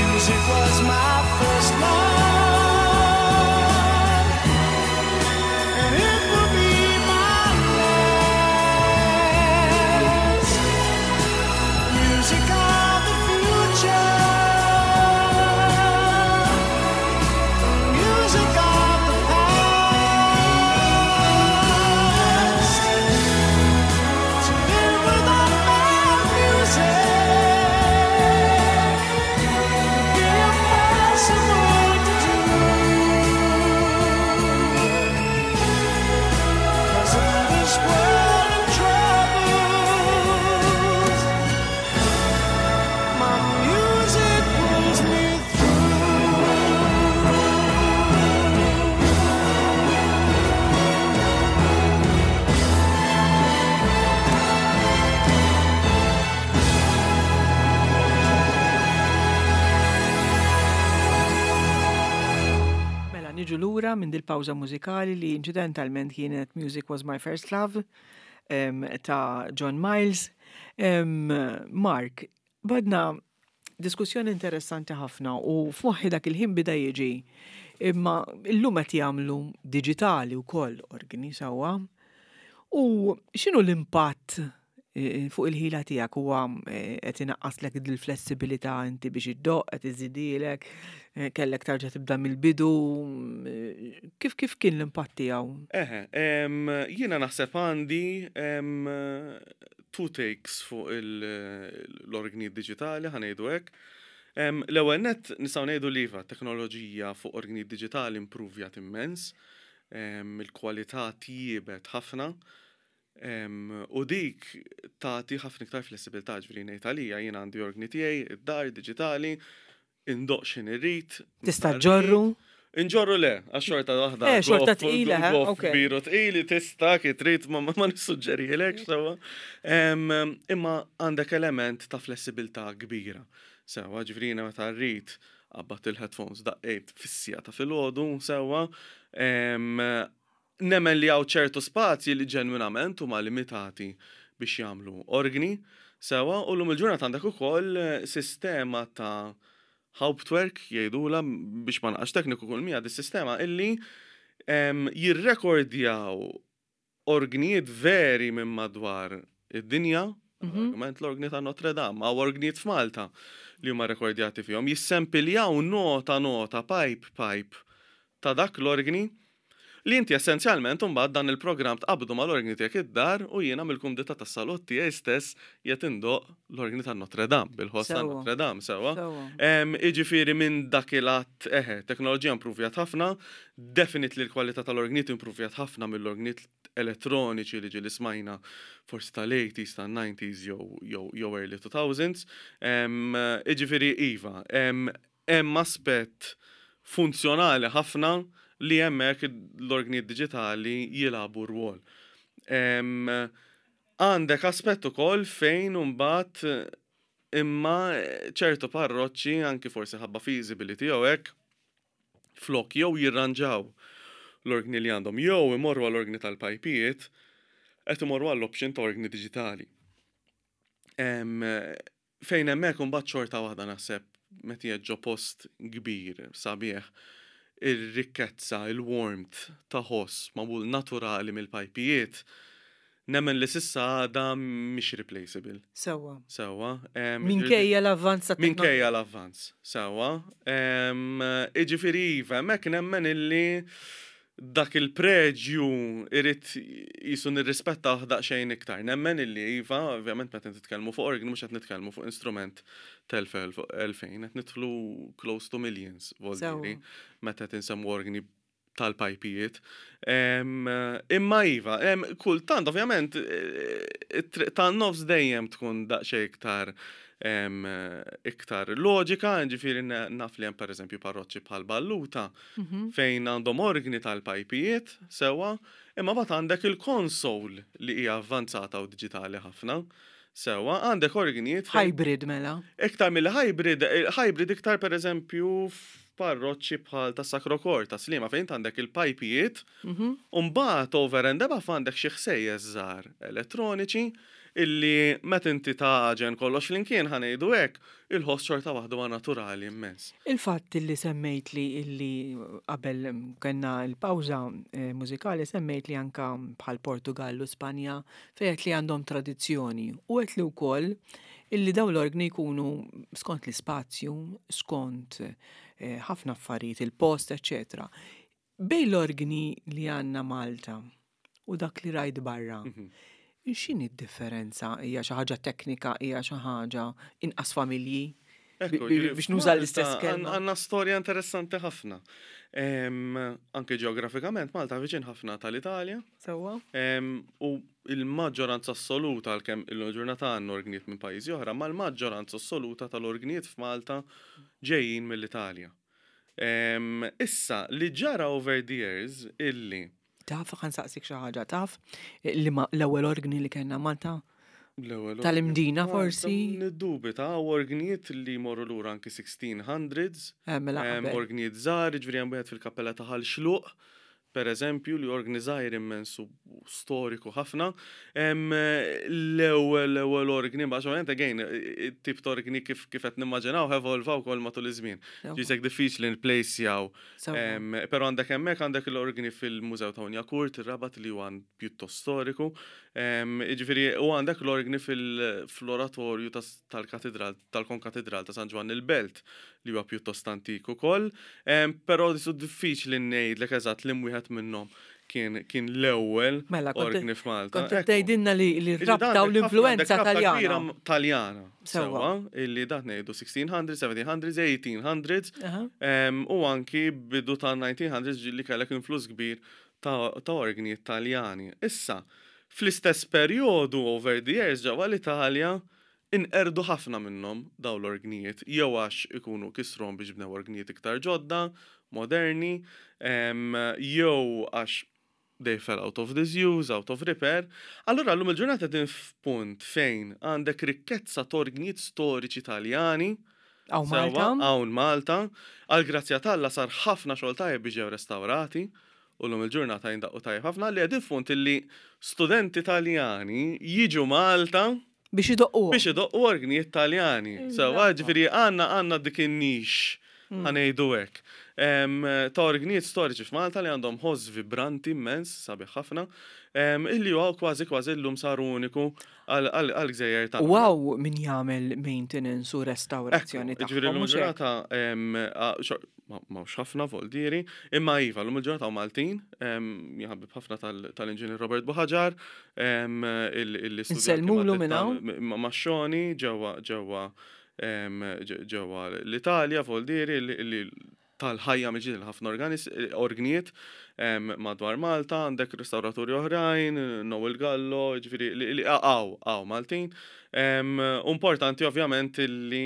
Music was my first love, and it will be my last. Music of the future, music of the past. To live without my music would be impossible to do. 'Cause in this world of troubles, my music pulls me through. Mela, niġu lura minn dil-pawża mużikali li inċidentalment kienet Music Was My First Love ta' John Miles. Mark, badna diskussjoni interessanti ħafna u f'moħħi dak il-ħin bida jiġi imma illum qed jagħmlu diġitali wkoll organi sewwa. U x'inhu l-impatt fuq il-ħila tiegħek huwa qed inaqqaslek il-flessibilità inti biex iddoqq, qed iżidilek, kellek tarġa' tibda mill-bidu, kif kien l-impatt tiegħu? Eħe, jiena naħseb għandi two takes fuq l-organi diġitali, ħa ngħidu hekk. L-ewwel nett nistgħu ngħidu li iva, teknoloġija fuq organi diġitali impruvjat immens, il-kwalità tjiebet ħafna, u dik tagħti ħafna iktar flessibilità, ġifieri ngħid għalija jien għandi organi tiegħi, id-dar diġitali, indoqq x'in irrid. Tista' ġorru? Inġorru le, għax xorta waħda. Xorta tqila, ok. Biru tqili tista' kif trid ma nissuġġerilek sewwa. Imma għandek element ta' flessibilità kbira. Sewwa, ġifieri jiena meta rrid qabbadt il-headphones daqqejt fis-siegħa ta' filgħodu sewwa. Nemmen li hawn ċertu spazji li ġenwinament huma limitati biex jagħmlu organi. Sewa, u llum il-ġurnata għandek ukoll sistema ta' Hauptwerk jgħidulha biex ma naqax tekniku kull mija dis-sistema illi jirrekordjaw orgnijiet veri minn madwar id-dinja, argument l-orgni ta' Notre Dame, hawn orgnijiet f'Malta li huma rekordjati fihom, jissempiljaw nota nota, pipe pipe ta' dak l-orgni Li inti essenzjalment imbagħad dan il-programm tqabbdu mal-orgni tiegħek id-dar u jiena mill-kumdità tas-salott tiegħi stess qiegħed indoqq l-orgni ta' Notre Dame, bil-ħoss ta' Notre Dame, sewwa. Jiġifieri minn dak il-att, eħe, teknoloġija impruvjat ħafna, definitely l-kwalità tal-orgnijiet impruvjat ħafna mill-orgnijiet elettroniċi li ġieli smajna forsi tal-80s, tan-90s jew jew early 2000s. Jiġifieri iva, Hemm aspett funzjonali ħafna li hemmhekk l-orgnijiet diġitali jilagħbu rwol. Għandek aspett ukoll fejn imbagħad imma ċertu parroċċi anki forsi ħabba feasibility jew hekk flok jew jirranġaw l-orgni li għandhom jew imorru għall-orgni tal-pajpijiet qed imorru għall-option ta' orgni diġitali. Fejn hemmhekk imbagħad xorta waħda naħseb meta qiegħed ġo post kbir, sabiħ, ir-rikkezza, il-warmth ta' ħoss magħmul naturali mill-pajpijiet, nemmen li s'issa għadha mhix replaceable. Sewwa. Sewwa. Minkejja l-avvanz tat-teknoloġija. Minkejja l-avvanz, sewwa. Jiġifieri iva, hemmhekk nemmen illi dak il-preġju irid qisu nirrispettawh daqsxejn iktar. Nemmen illi iva, ovvjament meta nitkellmu fuq orgni mhux qed nitkellmu fuq instrument t'elf 2000, qed nidħlu close to millions, voldieri, meta qed insemmu orgni tal-pajpijiet. Imma iva, kultant ovvjament it-triq tan-nofs dejjem tkun daqsxejn iktar iktar loġika, ġifieri naf li hemm pereżempju parroċċi bħal Balluta fejn għandhom orgni tal-pajpijiet sewwa, imma mbagħad għandek il-console li hija avvanzata u diġitali ħafna. Sewwa, għandek orgnijiet. Hybrid mela. Iktar milli hybrid, hybrid iktar pereżempju f'parroċċi bħal ta' Sacro Cor ta' Sliema fejn int għandek il-pajpijiet u mbagħad over and above għandek xi ħsejjes żgħar elettroniċi illi meta inti tagħġen kollox flimkien ħa ngħidu hekk, il-ħoss xorta waħda huwa naturali immens. Il-fatt illi semmejtli illi qabel kellna l-pawża eh, mużikali semmejtli anka bħal Portugal u Spanja fejn li għandhom tradizzjoni u għedt li wkoll illi dawn l-orgni jkunu skont l-ispazju, skont eh, ħafna affarijiet, il-post, eċċetera. Bejn l-orgni li għandna Malta u dak li rajt barra, mhm. x'inhi d-differenza? Hija xi ħaġa teknika, hija xi ħaġa inqas familji? Biex nuża l-istess kelma. Għandna storja interessanti ħafna. Anke ġeografikament Malta viċin ħafna tal-Italja. Sewwa. U il-maġġoranza assoluta għalkemm il-ġurnata għandna orgnijiet minn pajjiżi oħra, ma l-maġġoranza assoluta tal-orgnijiet f'Malta ġejjin mill-Italja. Issa, li ġara over the years illi. Taf, ħa nsaqsik xi ħaġa, taf li ma l-ewwel orgni li kellna Malta? L-ewwel Tal-Imdina forsi? Niddubita, orgnijiet li jmorru lura anki 1600s. Eh, mela qabel. Orgnijiet żgħar, jiġifieri hemm wieħed fil-kappella ta' Ħal Xluq. Per eżempju, li orgni żgħir immens u storiku ħafna. L-ewwel l-ewwel orgni, ma ovvjament again, it-tip ta' orgni kif kif qed nimmaġinaw evolva wkoll matul iż-żmien. Ġisek diffiċli nplejsjaw. Però għandek hemmhekk għandek l-orgni fil-Mużew ta' Wignacourt, ir-Rabat li huwa pjuttost storiku. Jiġifieri u għandek l-orgni fl-oratorju tal-katedral tal-Konkatedral ta' San Ġwann il-Belt li huwa pjuttost antik ukoll, però su diffiċli ngħidlek eżatt li wieħed minnhom kien kien l-ewwel mela, orgni f'Malta. Kont tgħidilna li l-rabta u l-influenza Taljana. Taljana. Sewwa, illi dat ngħidu 1600s, 1700s, 1800s, u anki bidu ta' 1900s li kellek influss kbir ta' orgni Taljani. Issa, fl-istess perjodu over the years ġewwa l-Italja Inqerdu ħafna minnhom dawn l-orgnijiet, jew għax ikunu kisruhom biex bnew orgnijiet iktar ġodda, moderni, jew għax they fell out of disuse, out of repair. Allura llum il-ġurnata qegħdin f'punt fejn għandek rikkezza t'orgnijiet storiċi Taljani. Hawn Malta. Hawn Malta. Għall-grazzja t'Alla sar ħafna xogħol tajjeb biex ġew restawrati u llum il-ġurnata jindaqqu tajjeb ħafna li qegħdin f'punt illi studenti Taljani jiġu Malta. Biex idoqqu. Biex idoqqu orgnijiet Taljani. Sewwa, ġifieri għandna għandna dik in-nix ħa ngħidu hekk. Ta' orgnijiet storiċi f'Malta li għandhom ħoss vibranti immens, sabiħ ħafna, illi huwa kważi kważi llum sar uniku għall-gżejjer tagħna. U hawn min jagħmel maintenance u restawrazzjoni tagħhom. Ġifieri llum il-ġurnata m'hawnx ħafna voldieri, imma iva, llum il-ġurnata hawn Maltin, jien ħabib ħafna tal-Inġinier Robert Buhaġar, illi studja Insellmulu minn hawn. ma' Xoni ġewwa ġewwa ġewwa l-Italja, voldieri, li tal-ħajja mill-ġdid lil ħafna orgnijiet madwar Malta, għandek restawraturi oħrajn, Noel Gallo, ġifieri li hawn hawn Maltin. Importanti ovvjament illi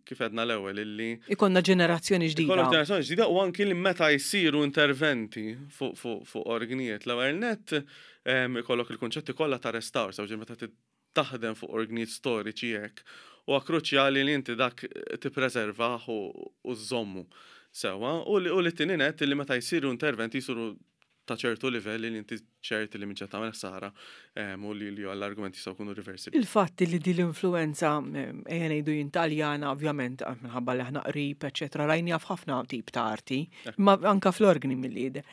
kif għedna l-ewwel illi Ikollna ġenerazzjoni ġdida. Ikollok ġenerazzjoni ġdida u anki li meta jsiru interventi fuq orgnijiet l-ewwel nett ikollok il-kunċetti kollha ta' restawr, sew meta taħdem fuq orgnijiet storiċi hekk, huwa kruċjali li inti dak tippreservah u żżommu sewwa u li t-tieni nett li meta jsiru interventi jsiru ta' ċertu livell li inti ċert li mhix qed tagħmel ħsara u li l-argumenti jistgħu jkunu riversibbli. Il-fatt li din l-influenza ejja ngħidu jien Taljana ovvjament minħabba li aħna qrib eċetera rajniha f'ħafna tip ta' arti, imma anke fl-organi milli jidher.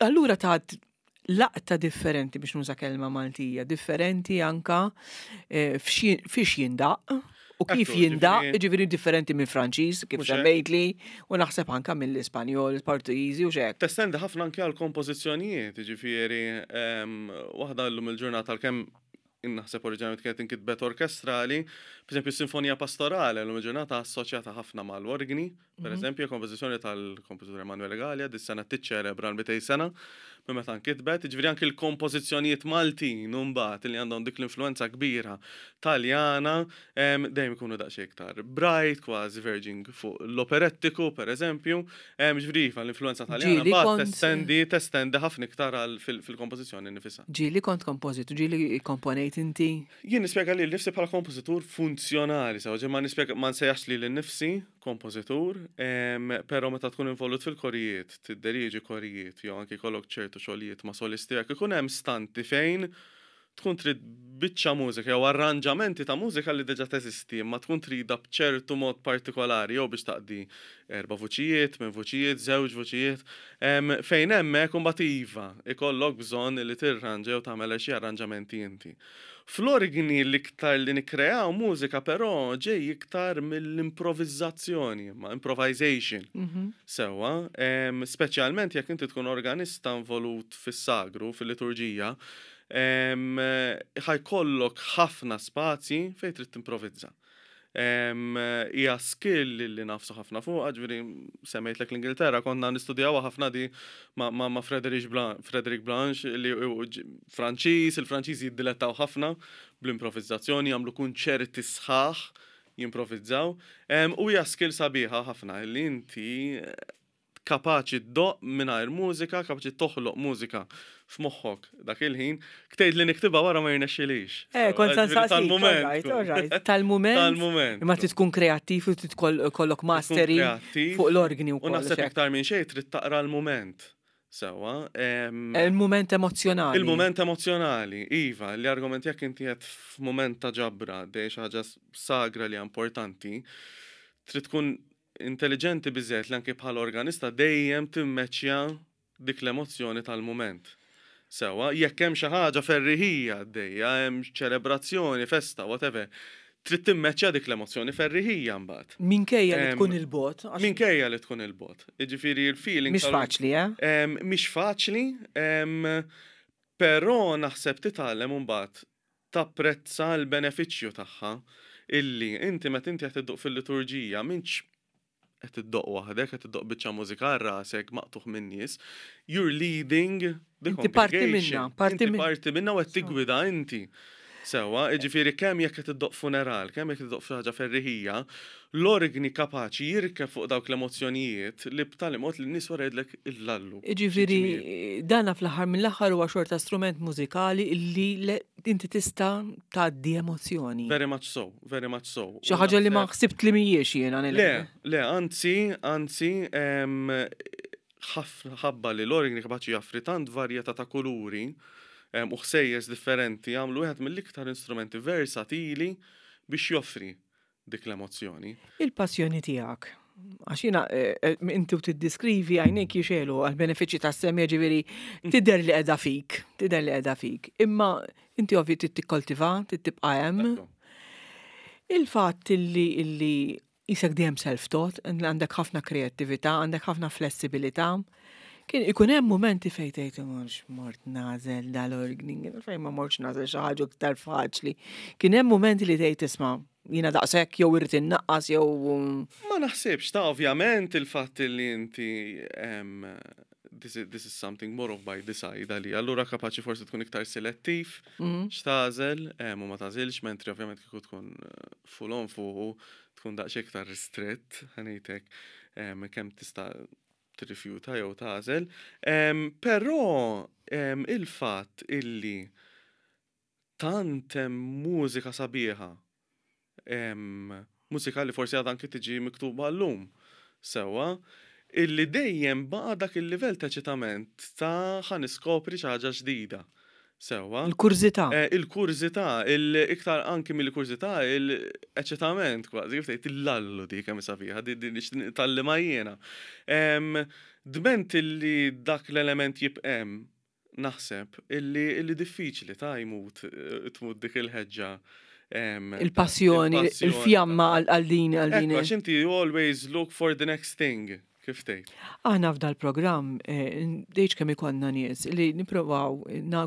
Allura tat laqta differenti biex nuża kelma Maltija, differenti anka eh, fiex jindaq u kif jindaq, ġifieri differenti mill Franċiż, kif semmejtli, u naħseb anka mill-Ispanjol, il-Portugiżi u xek. Testendi ħafna anke għal kompożizzjonijiet, ġifieri ehm, waħda llum il-ġurnata għalkemm naħseb oriġinalment kienet inkitbet orkestrali, per eżempju sinfonija pastorale llum il-ġurnata assoċjata ħafna mal-orgni, Per eżempju, kompożizzjoni tal-kompożitur Emanuele Galea dis-sena tiċċelebra l-200 sena minn meta nkitbet, jiġifieri anki l-kompożizzjonijiet Maltin mbagħad li għandhom dik l-influenza kbira Taljana dejjem ikunu daqsxejn iktar bright, kważi verging fuq l-operettiku pereżempju. Jiġifieri iva, l-influenza Taljana mbagħad testendi testendi ħafna iktar fil-kompożizzjoni nnifisha. Ġieli kont kompożitur, ġieli kkomponejt inti? Jien nispjega lili nnifsi bħala kompożitur funzjonali, sewa ġifieri ma nispjega ma nsejjaħx lili nnifsi kompożitur, però meta tkun involut fil-korijiet, tidderieġi korijiet jew anki jkollok ċertu xogħlijiet ma' solisti hekk, ikun hemm stanti fejn tkun trid biċċa mużika jew arranġamenti ta' mużika li diġà teżisti imma tkun tridha b'ċertu mod partikolari jew biex taqdi erba' vuċijiet, tmien vuċijiet, żewġ vuċijiet, fejn hemmhekk imbagħad iva, ikollok bżonn li tirranġa jew tagħmel xi arranġamenti inti. Fl-orgni l-iktar li nikkreaw mużika però ġej iktar mill-improvizzazzjoni, imma improvisation. Sewwa, speċjalment jekk inti tkun organista involut fis-sagru, fil-liturġija, ħa jkollok ħafna spazji fejn trid timprovizza. Hija skill li nafsu ħafna fuqha, ġifieri semmejtlek l-Ingilterra, konna nistudjawha ħafna di ma' Frederic Frederic Blanche li Franċiż, il-Franċiżi jiddilettaw ħafna bl-improvizzazzjoni, jagħmlu kunċerti sħaħ jimprovizzaw. U hija skill sabiħa ħafna li inti kapaċi ddoqq mingħajr mużika, kapaċi toħloq mużika f'moħħok dak il-ħin, ktejt li niktibha wara ma jirnexxilix. Eh, kont sa nsaqsik. Tal-mument. Tal-mument. Tal-mument. Imma trid tkun kreattiv u trid kollok mastery fuq l-organi wkoll. U naħseb iktar minn xejn trid taqra l-mument. Sewwa. Il-mument emozzjonali. Il-mument emozzjonali, iva, li argument jekk inti qed f'mument ta' ġabra dej xi ħaġa sagra li hija importanti, trid tkun intelliġenti biżżejjed li anki bħala organista dejjem timmeċċja dik l-emozzjoni tal-mument. Sewwa, jekk hemm xi ħaġa ferriħija għaddejja, hemm ċelebrazzjoni, festa, whatever, trid timmeċċja dik l-emozzjoni ferriħija mbagħad. Minkejja li tkun 'il bogħod. Minkejja li tkun 'il bogħod. Jiġifieri l-feeling. Mhix faċli, eh? Mhix faċli, però naħseb titgħallem imbagħad tapprezza l-benefiċċju tagħha illi inti meta inti qed iddoqq fil-liturġija m'intx qed iddoqq waħdek, qed iddoqq biċċa mużika għal rasek maqtugħ min-nies, you're leading the Inti parti minnha, congregation. parti Inti parti minnha u qed tiggwida inti. Sewwa, jiġifieri kemm jekk qed iddoqq funeral, kemm jekk qed iddoqq xi ħaġa ferriħija, l-orgni kapaċi jirkeb fuq dawk l-emozzjonijiet li b'tali mod li n-nies wara jgħidlek illallu. Jiġifieri dana fl-aħħar mill-aħħar huwa xorta strument mużikali li inti tista' tgħaddi emozzjoni. Very much so, very much so. Xi ħaġa li ma ħsibt li mhijiex jiena. Le, le, anzi, anzi, ħafna ħabba li l-orgni kapaċi jaffri tant varjetà ta' kuluri. u ħsejjes differenti jagħmlu wieħed mill-iktar instrumenti versatili biex joffri dik l-emozzjoni. Il-passjoni tiegħek. Għax jiena eh, eh, inti u tiddiskrivi għajnejk jixelu għal-benefiċċji tas-semja ġifieri tidher li qiegħda fik, tidher li qiegħda fik. Imma inti ovvju trid tikkoltiva, trid tibqa' hemm. Il-fatt illi illi Qisek dejjem self-taught, għandek ħafna kreattività, għandek ħafna flessibilità. Kien ikun hemm mumenti fejn tgħid mhux mort nagħżel dal-orgni, fejn ma mortx nagħżel xi ħaġa iktar faċli. Kien hemm mumenti li tgħid isma' jiena daqshekk jew irrid innaqqas jew. Ma naħsibx, ta' ovvjament il-fatt li inti this is, this is something more of by decide għalija, allura kapaċi forsi tkun iktar selettiv mhm. x'tagħżel u ma tagħżilx, mentri ovvjament kieku tkun eh, full on fuqu tkun daqsxejn iktar ristrett, ħanejtek kemm tista' tirrifjuta jew tagħżel. Però il-fatt illi tant hemm mużika sabiħa, mużika li forsi għadha anki tiġi miktuba llum sewwa, illi dejjem baqa' dak il-livell ta' eċitament ta' ħa niskopri xi ħaġa ġdida. Sewwa. Il-kurżità. Il-kurżità, iktar anki mill-kurżità, il-eċitament kważi, kif tgħid, il-lallu dik kemm hi sabiħa, din nitgħallimha jiena. Dment illi dak l-element jibqa' hemm, Naħseb illi illi diffiċli ta' jmut tmut dik il-ħeġġa. Il-passjoni, il-fjamma għal din għal din. Għax inti you always look for the next thing, kif tgħid. Aħna f'dal-programm tgħidx kemm ikollna nies li nipprovaw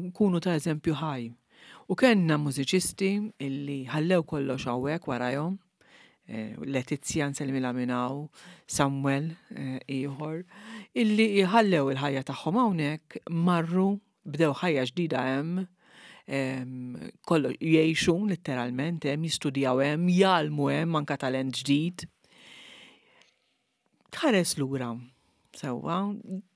nkunu ta' eżempju ħaj. U kellna mużiċisti illi ħallew kollox hawnhekk warajhom Eh, Letizia nsellmilha minn hawn, Samuel eh, ieħor, illi jħallew il-ħajja tagħhom hawnhekk marru bdew ħajja ġdida hemm, kollu jgħixu letteralment hemm, jistudjaw hemm, jgħallmu hemm anka talent ġdid. Tħares lura, sewwa,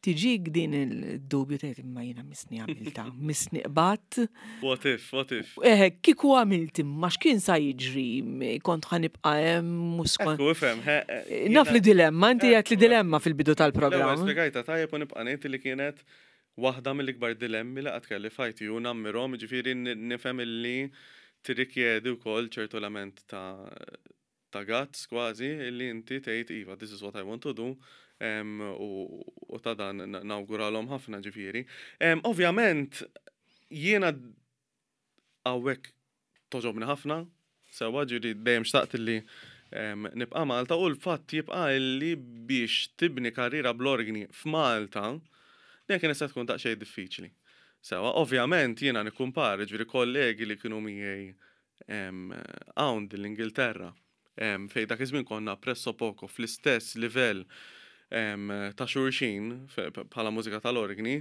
tiġik din il-dubju tgħid imma jiena misni għamilta, misni qbadt. What if, what if? Eh, kieku għamilt imma x'kien sa jiġri, kont ħa nibqa' hemm mhux kont. Ekku, ifhem, eh, Naf li dilemma, inti għedt li dilemma fil-bidu tal-programm. L-ewwel spjegajtha tajjeb u nibqa' ngħid li kienet waħda mill-ikbar dilemmi li qatt kelli f'ħajti u nammirhom, jiġifieri nifhem illi tirrikjedi wkoll ċertu element ta' ta' guts kważi illi inti tgħid iva this is what I want to do u ta' dan nawguralhom ħafna ġifieri. Ovvjament jiena hawnhekk togħġobni ħafna sewwa ġifieri dejjem xtaqt illi nibqa' Malta u l-fatt jibqa' illi biex tibni karriera bl-orgni f'Malta dejjem kienet se tkun daqsxejn diffiċli. Sewwa, ovvjament jiena nikkumpara ġifieri kollegi li kienu miegħi hawn din l-Ingilterra fejn dak iż-żmien konna presso poco fl-istess livell ta' xulxin bħala mużika tal-orgni,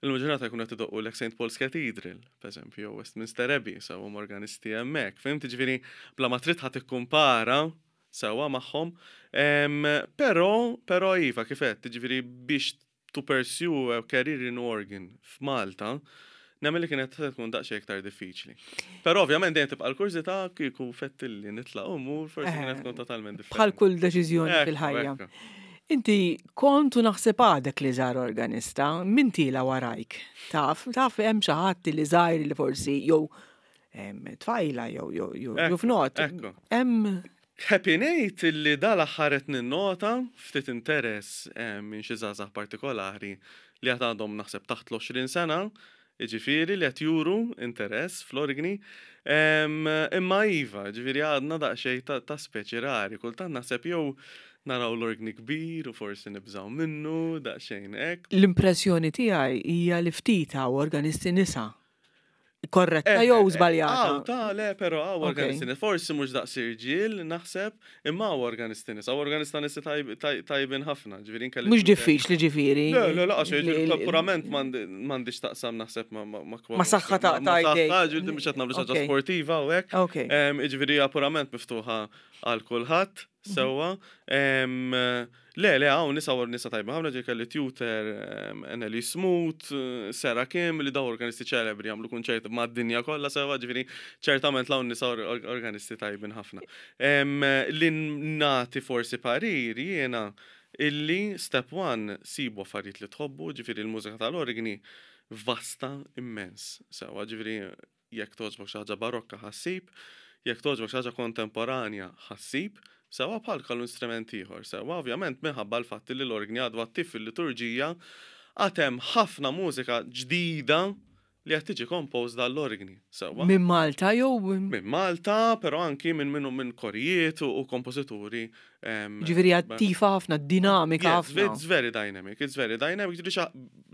illum il-ġurnata jkunu qed idoqqulek St Paul's Cathedral, pereżempju, jew Westminster Abbey, sew huma organisti hemmhekk. Fhimt? Jiġifieri bla ma trid ħa tikkumpara sewwa magħhom. Però, però iva, kif għedt, jiġifieri biex to pursue a career in organ f'Malta, nemmen li kienet se tkun daqsxejn iktar diffiċli. Però ovvjament dejjem tibqa' l-kurżità kieku fettilli nitlaq u mmur forsi kienet tkun totalment differenti. Bħal kull deċiżjoni fil-ħajja. Inti kont u naħseb għadek li żgħar organista, min tiela warajk? Taf, taf hemm xi ħadd li żgħir li forsi jew tfajla jew jew jew fnot. Hemm Happy ngħid illi dal-aħħar qed ninnota ftit interess minn xi żgħażagħ partikolari li għad għandhom naħseb taħt l-20 sena, jiġifieri li qed juru interess fl-orgni. Imma iva, jiġifieri għadna daqsxejn ta' speċi rari, kultant naħseb jew naraw l-orgni kbir u forsi nibżgħu minnu, daqsxejn hekk. L-impressjoni tiegħi hija li ftit hawn organisti nisa Korretta eh, jew eh, żbaljata? Aw, ta' le, però hawn organisti nisa. Forsi mhux daqs irġiel, naħseb, imma hawn organisti nisa. Hawn organista nisa tajbin ħafna, ġifieri nkelli. Mhux diffiċli ġifieri. Le, le, laqas purament m'għandix taqsam naħseb ma' ma' saħħa ta' tajbin. Ġifieri mhux qed nagħmlu xi sportiva u hekk. Ġifieri hija purament miftuħa għal kulħadd sewwa. Le, le, hawn nisa u nisa tajba ħafna ġej kelli tutor Anneli Smoot, Sarah Kim, li daw organisti ċelebri jagħmlu kunċert mad-dinja kollha sewwa, ġifieri ċertament l-hawn nisa organisti tajbin ħafna. Li nagħti forsi parir jiena illi step one sibu affarijiet li tħobbu, ġifieri l-mużika tal-orgni. vasta immens. Sewwa, ġifieri jekk togħġbok xi ħaġa barokka ħa ssib, jekk togħġbok xi ħaġa kontemporanja ħa ssib, sewwa bħal kull instrument ieħor. Sewwa, ovvjament minħabba l-fatt li l-orgni għadu attiv fil-liturġija, għad hemm ħafna mużika ġdida li qed tiġi composed għall-orgni, sewwa. Minn Malta jew? Minn Malta, però anki minn minn minn korijiet u kompożituri. Ġifieri attiva ħafna, dinamika ħafna. It's very dynamic, it's very dynamic, ġifieri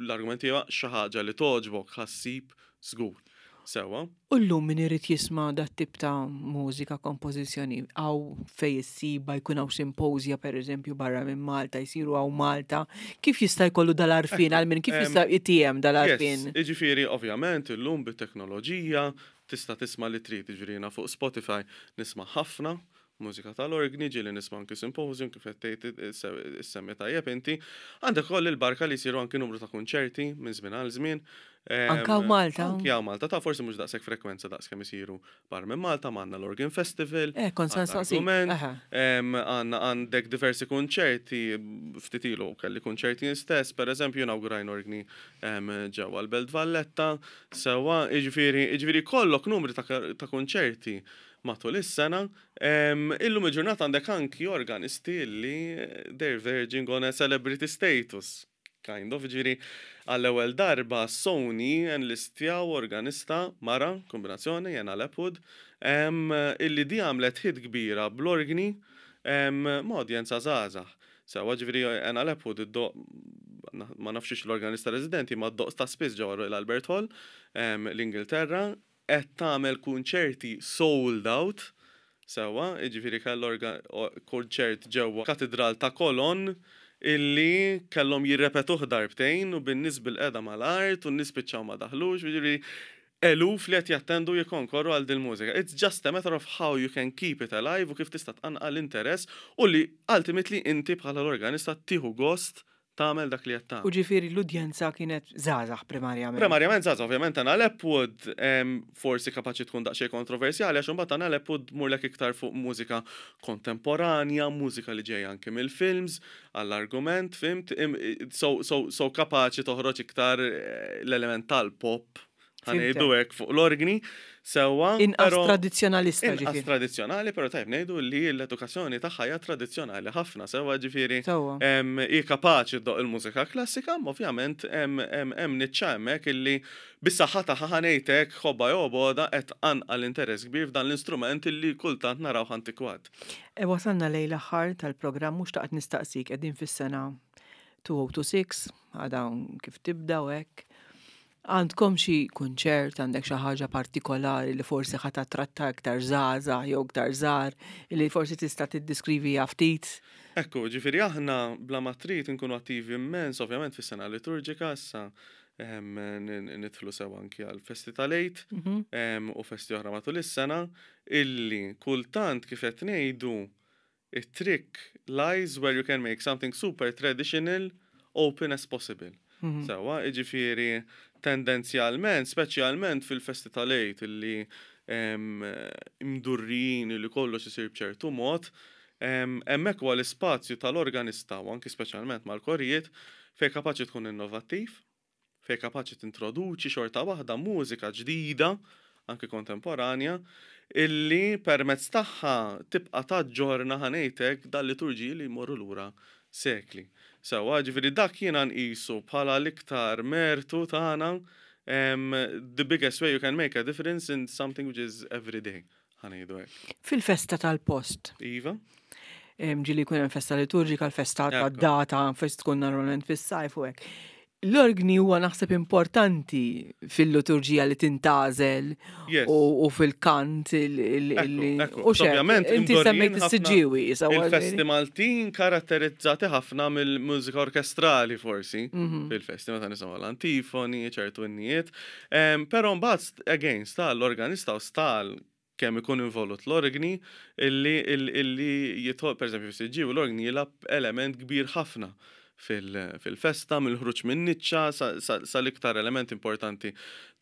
l-argument huwa xi ħaġa li togħġbok ħa ssib żgur. Sewwa. U llum min irid jisma' dat-tip ta' mużika, kompożizzjoni, hawn fejn issibha, jkun hawn simposja pereżempju barra minn Malta, jsiru hawn Malta, kif jista' jkollu dal-għarfien għal min, kif jista' jtiehem dal-għarfien? Yes, jiġifieri ovvjament illum bit-teknoloġija tista' tisma' li trid, jiġifieri jiena fuq Spotify nisma' ħafna mużika tal-orgni, ġieli nisma' anki symposium kif qed tgħid issemmi tajjeb inti. Għandek ukoll il-barka li jsiru anki numru ta' kunċerti minn żmien għal żmien. Anke hawn Malta. Anki hawn Malta, ta' forsi mhux daqshekk frekwenza daqs kemm isiru barra minn Malta, ma għandna l-Organ Festival. Eh, kont se nsaqsik. Għandna għandek diversi kunċerti, ftit ilu kelli kunċerti jien stess, pereżempju inawgurajna orgni ġewwa l-Belt Valletta, sewwa, jiġifieri jiġifieri jkollok numri ta' kunċerti matul is-sena. Illum il-ġurnata għandek anki organisti li they're verging on a celebrity status, kind of, ġifieri għall-ewwel darba Sony enlistjaw organista mara, kombinazzjoni, Jena Lepwood, illi di għamlet hit kbira bl-orgni ma' udjenza żgħażagħ. Sewwa, ġifieri Jena Lepwood iddoqq, ma nafx l-organista residenti, ma ddoqq ta' spiss ġewwa Royal Albert Hall, l-Ingilterra, qed tagħmel kunċerti sold out, sewwa, jiġifieri kellha kunċert ġewwa Katidral ta' Cologne illi kellhom jirrepetuh darbtejn u bin-nies bil-qiegħda mal-art u n-nies spiċċaw ma daħlux, jiġifieri eluf li qed jattendu jikkonkorru għal dil-mużika. It's just a matter of how you can keep it alive u kif tista' tqanqal interess u li ultimately inti bħala l-organista tieħu gost tagħmel dak li qed tagħmel. U ġifieri l-udjenza kienet żgħażagħ primarjament. Primarjament żgħażagħ, ovvjament Anna Lepwood forsi kapaċi tkun daqsxejn kontroversjali għax imbagħad Anna Lepwood tmurlek iktar fuq mużika kontemporanja, mużika li ġejja anke mill-films, għall-argument, fhimt? So, so, so kapaċi toħroġ iktar l-element tal-pop, ħa ngħidu hekk fuq l-orgni, sewwa. Inqas tradizzjonalista ġifieri. Inqas tradizzjonali, però tajjeb ngħidu li l-edukazzjoni tagħha hija tradizzjonali ħafna, sewwa ġifieri. Hi kapaċi ddoqq il-mużika klassika, imma ovvjament hemm niċċa hemmhekk illi bis-saħħa tagħha ħa ngħid hekk ħobba jew bogħda qed tqanqal interess kbir f'dan l-istrument illi kultant narawh antikwat. E wasalna lejn l-aħħar tal-programm u xtaqt nistaqsik qegħdin fis-sena 2026, għadha kif tibda u hekk. Għandkom xi kunċert, għandek xi ħaġa partikolari li forsi ħa tattratta iktar żgħażagħ jew iktar żgħar li forsi tista' tiddiskriviha ftit? Ekku, ġifieri aħna bla ma trid inkunu attivi immens ovvjament fis-sena liturġika issa nidħlu sew anki għal festi tal-Għid u festi oħra matul is-sena illi kultant kif qed ngħidu it-trick lies where you can make something super traditional open as possible. Sewwa, jiġifieri tendenzjalment, speċjalment fil-festi tal-Għid illi mdurrijin li kollox isir b'ċertu mod, hemmhekk huwa l-ispazju tal-organista u anki speċjalment mal-korijiet fejn kapaċi tkun innovattiv, fejn kapaċi tintroduċi xorta waħda mużika ġdida, anki kontemporanja, illi permezz tagħha tibqa' taġġorna ħa ngħid hekk dal-liturġiji li jmorru lura sekli. Sewwa, ġifieri dak jiena nqisu bħala l-iktar mertu tagħna, the biggest way you can make a difference in something which is everyday, ħa ngħidu hekk. Fil-festa tal-post. Iva. Ġieli jkun hemm festa liturġika, l-festa tad-data, fest tkun normalment fis-sajf u hekk. L-orgni huwa naħseb importanti fil-liturġija li tintgħażel u fil-kant li. U ovvjament inti semmejt is-Siġġiewi. Il-festi Maltin karatterizzati ħafna mill-mużika orkestrali forsi fil-festi meta nisimgħu l-antifoni, ċertu innijiet. Però mbagħad again sta l-organista u sta kemm ikun involut l-orgni illi illi jidħol, pereżempju fis-Siġġiewi l-orgni jilgħab element kbir ħafna fil-festa, mill-ħruġ min-niċċa sal-iktar element importanti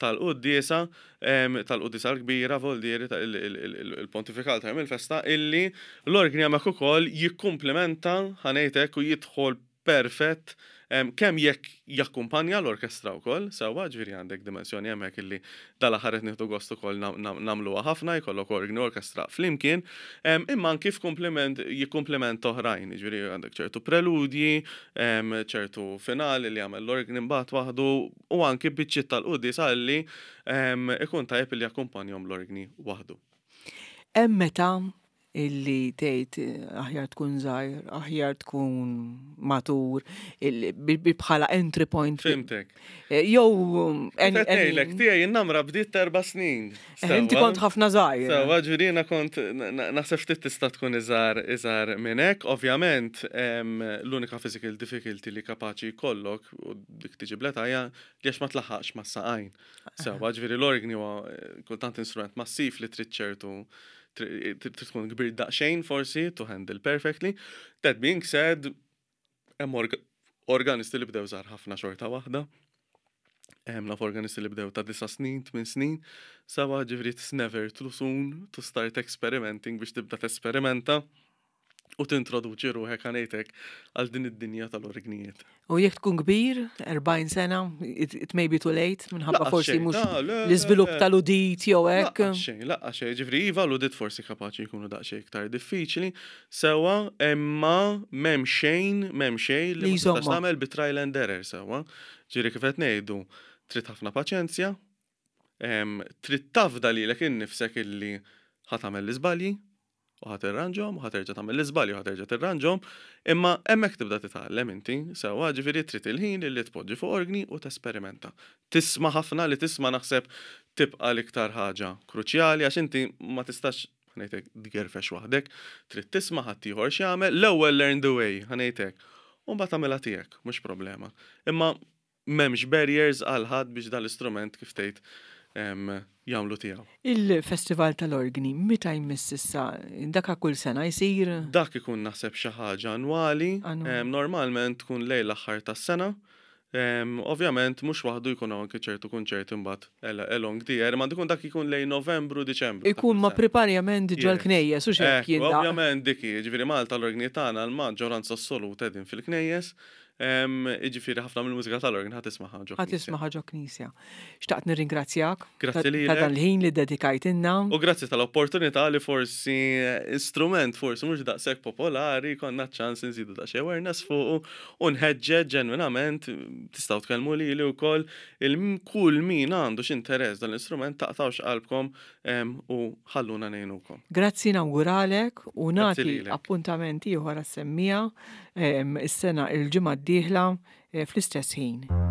tal-quddiesa, tal-quddiesa l-kbira, voldieri, il-pontifikal ta' jum il-festa, illi l-orgni hemmhekk ukoll jikkumplimenta, ħa ngħid hekk, u jidħol perfett Kemm jekk jakkumpanja l-orkestra wkoll, sewwa, ġifieri għandek dimensjoni hemmhekk illi dal-aħħar qed nieħdu gost ukoll nagħmluha ħafna, jkollok orgni u orkestra flimkien, imma anki f'kumpliment jikkumplimenta oħrajn, jiġifieri għandek ċertu preludji, ċertu finali li jagħmel l-orgni mbagħad waħdu u anki biċċiet tal-quddiesa illi ikun tajjeb illi jakkumpanjhom l-orgni waħdu. Hemm meta illi tgħid aħjar tkun żgħir, aħjar tkun matur, bħala entry point. Fimtek. Eh, jew. Ngħidlek tiegħi n-namra bdiet erba' snin. Eh, inti kont ħafna żgħir. Sewa ġifieri kont naħseb ftit tista' tkun iżgħar iżgħar minn hekk. Ovvjament l-unika physical difficulty li kapaċi jkollok u dik tiġi bl-età hija li għax ma tlaħħaqx mas-saqajn. Sewa ġifieri l-orgni huwa eh, kultant instrument massiv li trid ċertu trid tkun kbir daqsxejn forsi to handle perfectly. That being said, hemm organisti li bdew żgħar ħafna xorta waħda. Hemm naf organisti li bdew ta' disa' snin, tmien snin, sawa ġifieri it's never too soon to start experimenting biex tibda tesperimenta u tintroduċi ruħek għanejtek għal din id-dinja tal-orgnijiet. U jekk tkun kbir, 40 sena, it, it may be too late, minħabba forsi mhux l-iżvilupp tal-udit jew hekk. Xejn, laqqa xejn, ġifri iva l-udit forsi kapaċi jkunu daqsxejn iktar diffiċli, sewa imma m'hemm xejn, m'hemm xejn li ma tistax tagħmel bi trial and error sewa. Ġifieri kif qed ngħidu, trid ħafna paċenzja, trid tafda lilek innifsek illi ħa tagħmel l-iżbalji, u ħa tirranġhom, u ħa terġa' tagħmel l-iżbalji u ħa terġa' tirranġhom, imma hemmhekk tibda titgħallem inti, sewwa, ġifieri trid il-ħin li tpoġġi fuq orgni u tesperimenta. Tisma' ħafna li tisma' naħseb tibqa' l-iktar ħaġa kruċjali għax inti ma tistax ħa ngħid hekk tgerfex waħdek, trid tisma' ħaddieħor x'jagħmel, l-ewwel learn the way, ħa ngħid hekk, u mbagħad agħmilha tiegħek, mhux problema. Imma m'hemmx barriers għal ħadd biex dan l-istrument kif tgħid jagħmlu tiegħu. Il-Festival tal-Orgni meta jmiss issa? Dak kull sena jsir? Dak ikun naħseb xi ħaġa annwali, normalment tkun lejn l-aħħar tas-sena. Ovvjament mhux waħdu jkun hawn anke ċertu kunċerti mbagħad along the year, imma dikun dak ikun lejn Novembru, Diċembru. Ikun ma priparjament ġol knejjes u x'hekk jindaqq. Ovvjament dik hi, jiġifieri Malta l-orgni tagħna l-maġġoranza assoluta qegħdin fil-knejjes. Jiġifieri ħafna mill-mużika tal-orgni ħa tismaha ġo Ħa tismaha ġo knisja. Xtaqt nirringrazzjak Grazzi lilek. Ta' dan il-ħin li ddedikajtilna. U grazzi tal-opportunità li forsi strument forsi mhux daqshekk popolari konna ċ-ċans inżidu daqsxejn awareness fuqu u nħeġġeġ ġenwinament tistgħu tkellmu lili wkoll il kull min għandu xi interess dan l-istrument taqtgħux qalbkom u ħalluna ngħinukom. Grazzi nawguralek u nagħti appuntament ieħor għas-semmiegħa is-sena il-ġimgħa d-dieħla eh, fl-istess ħin.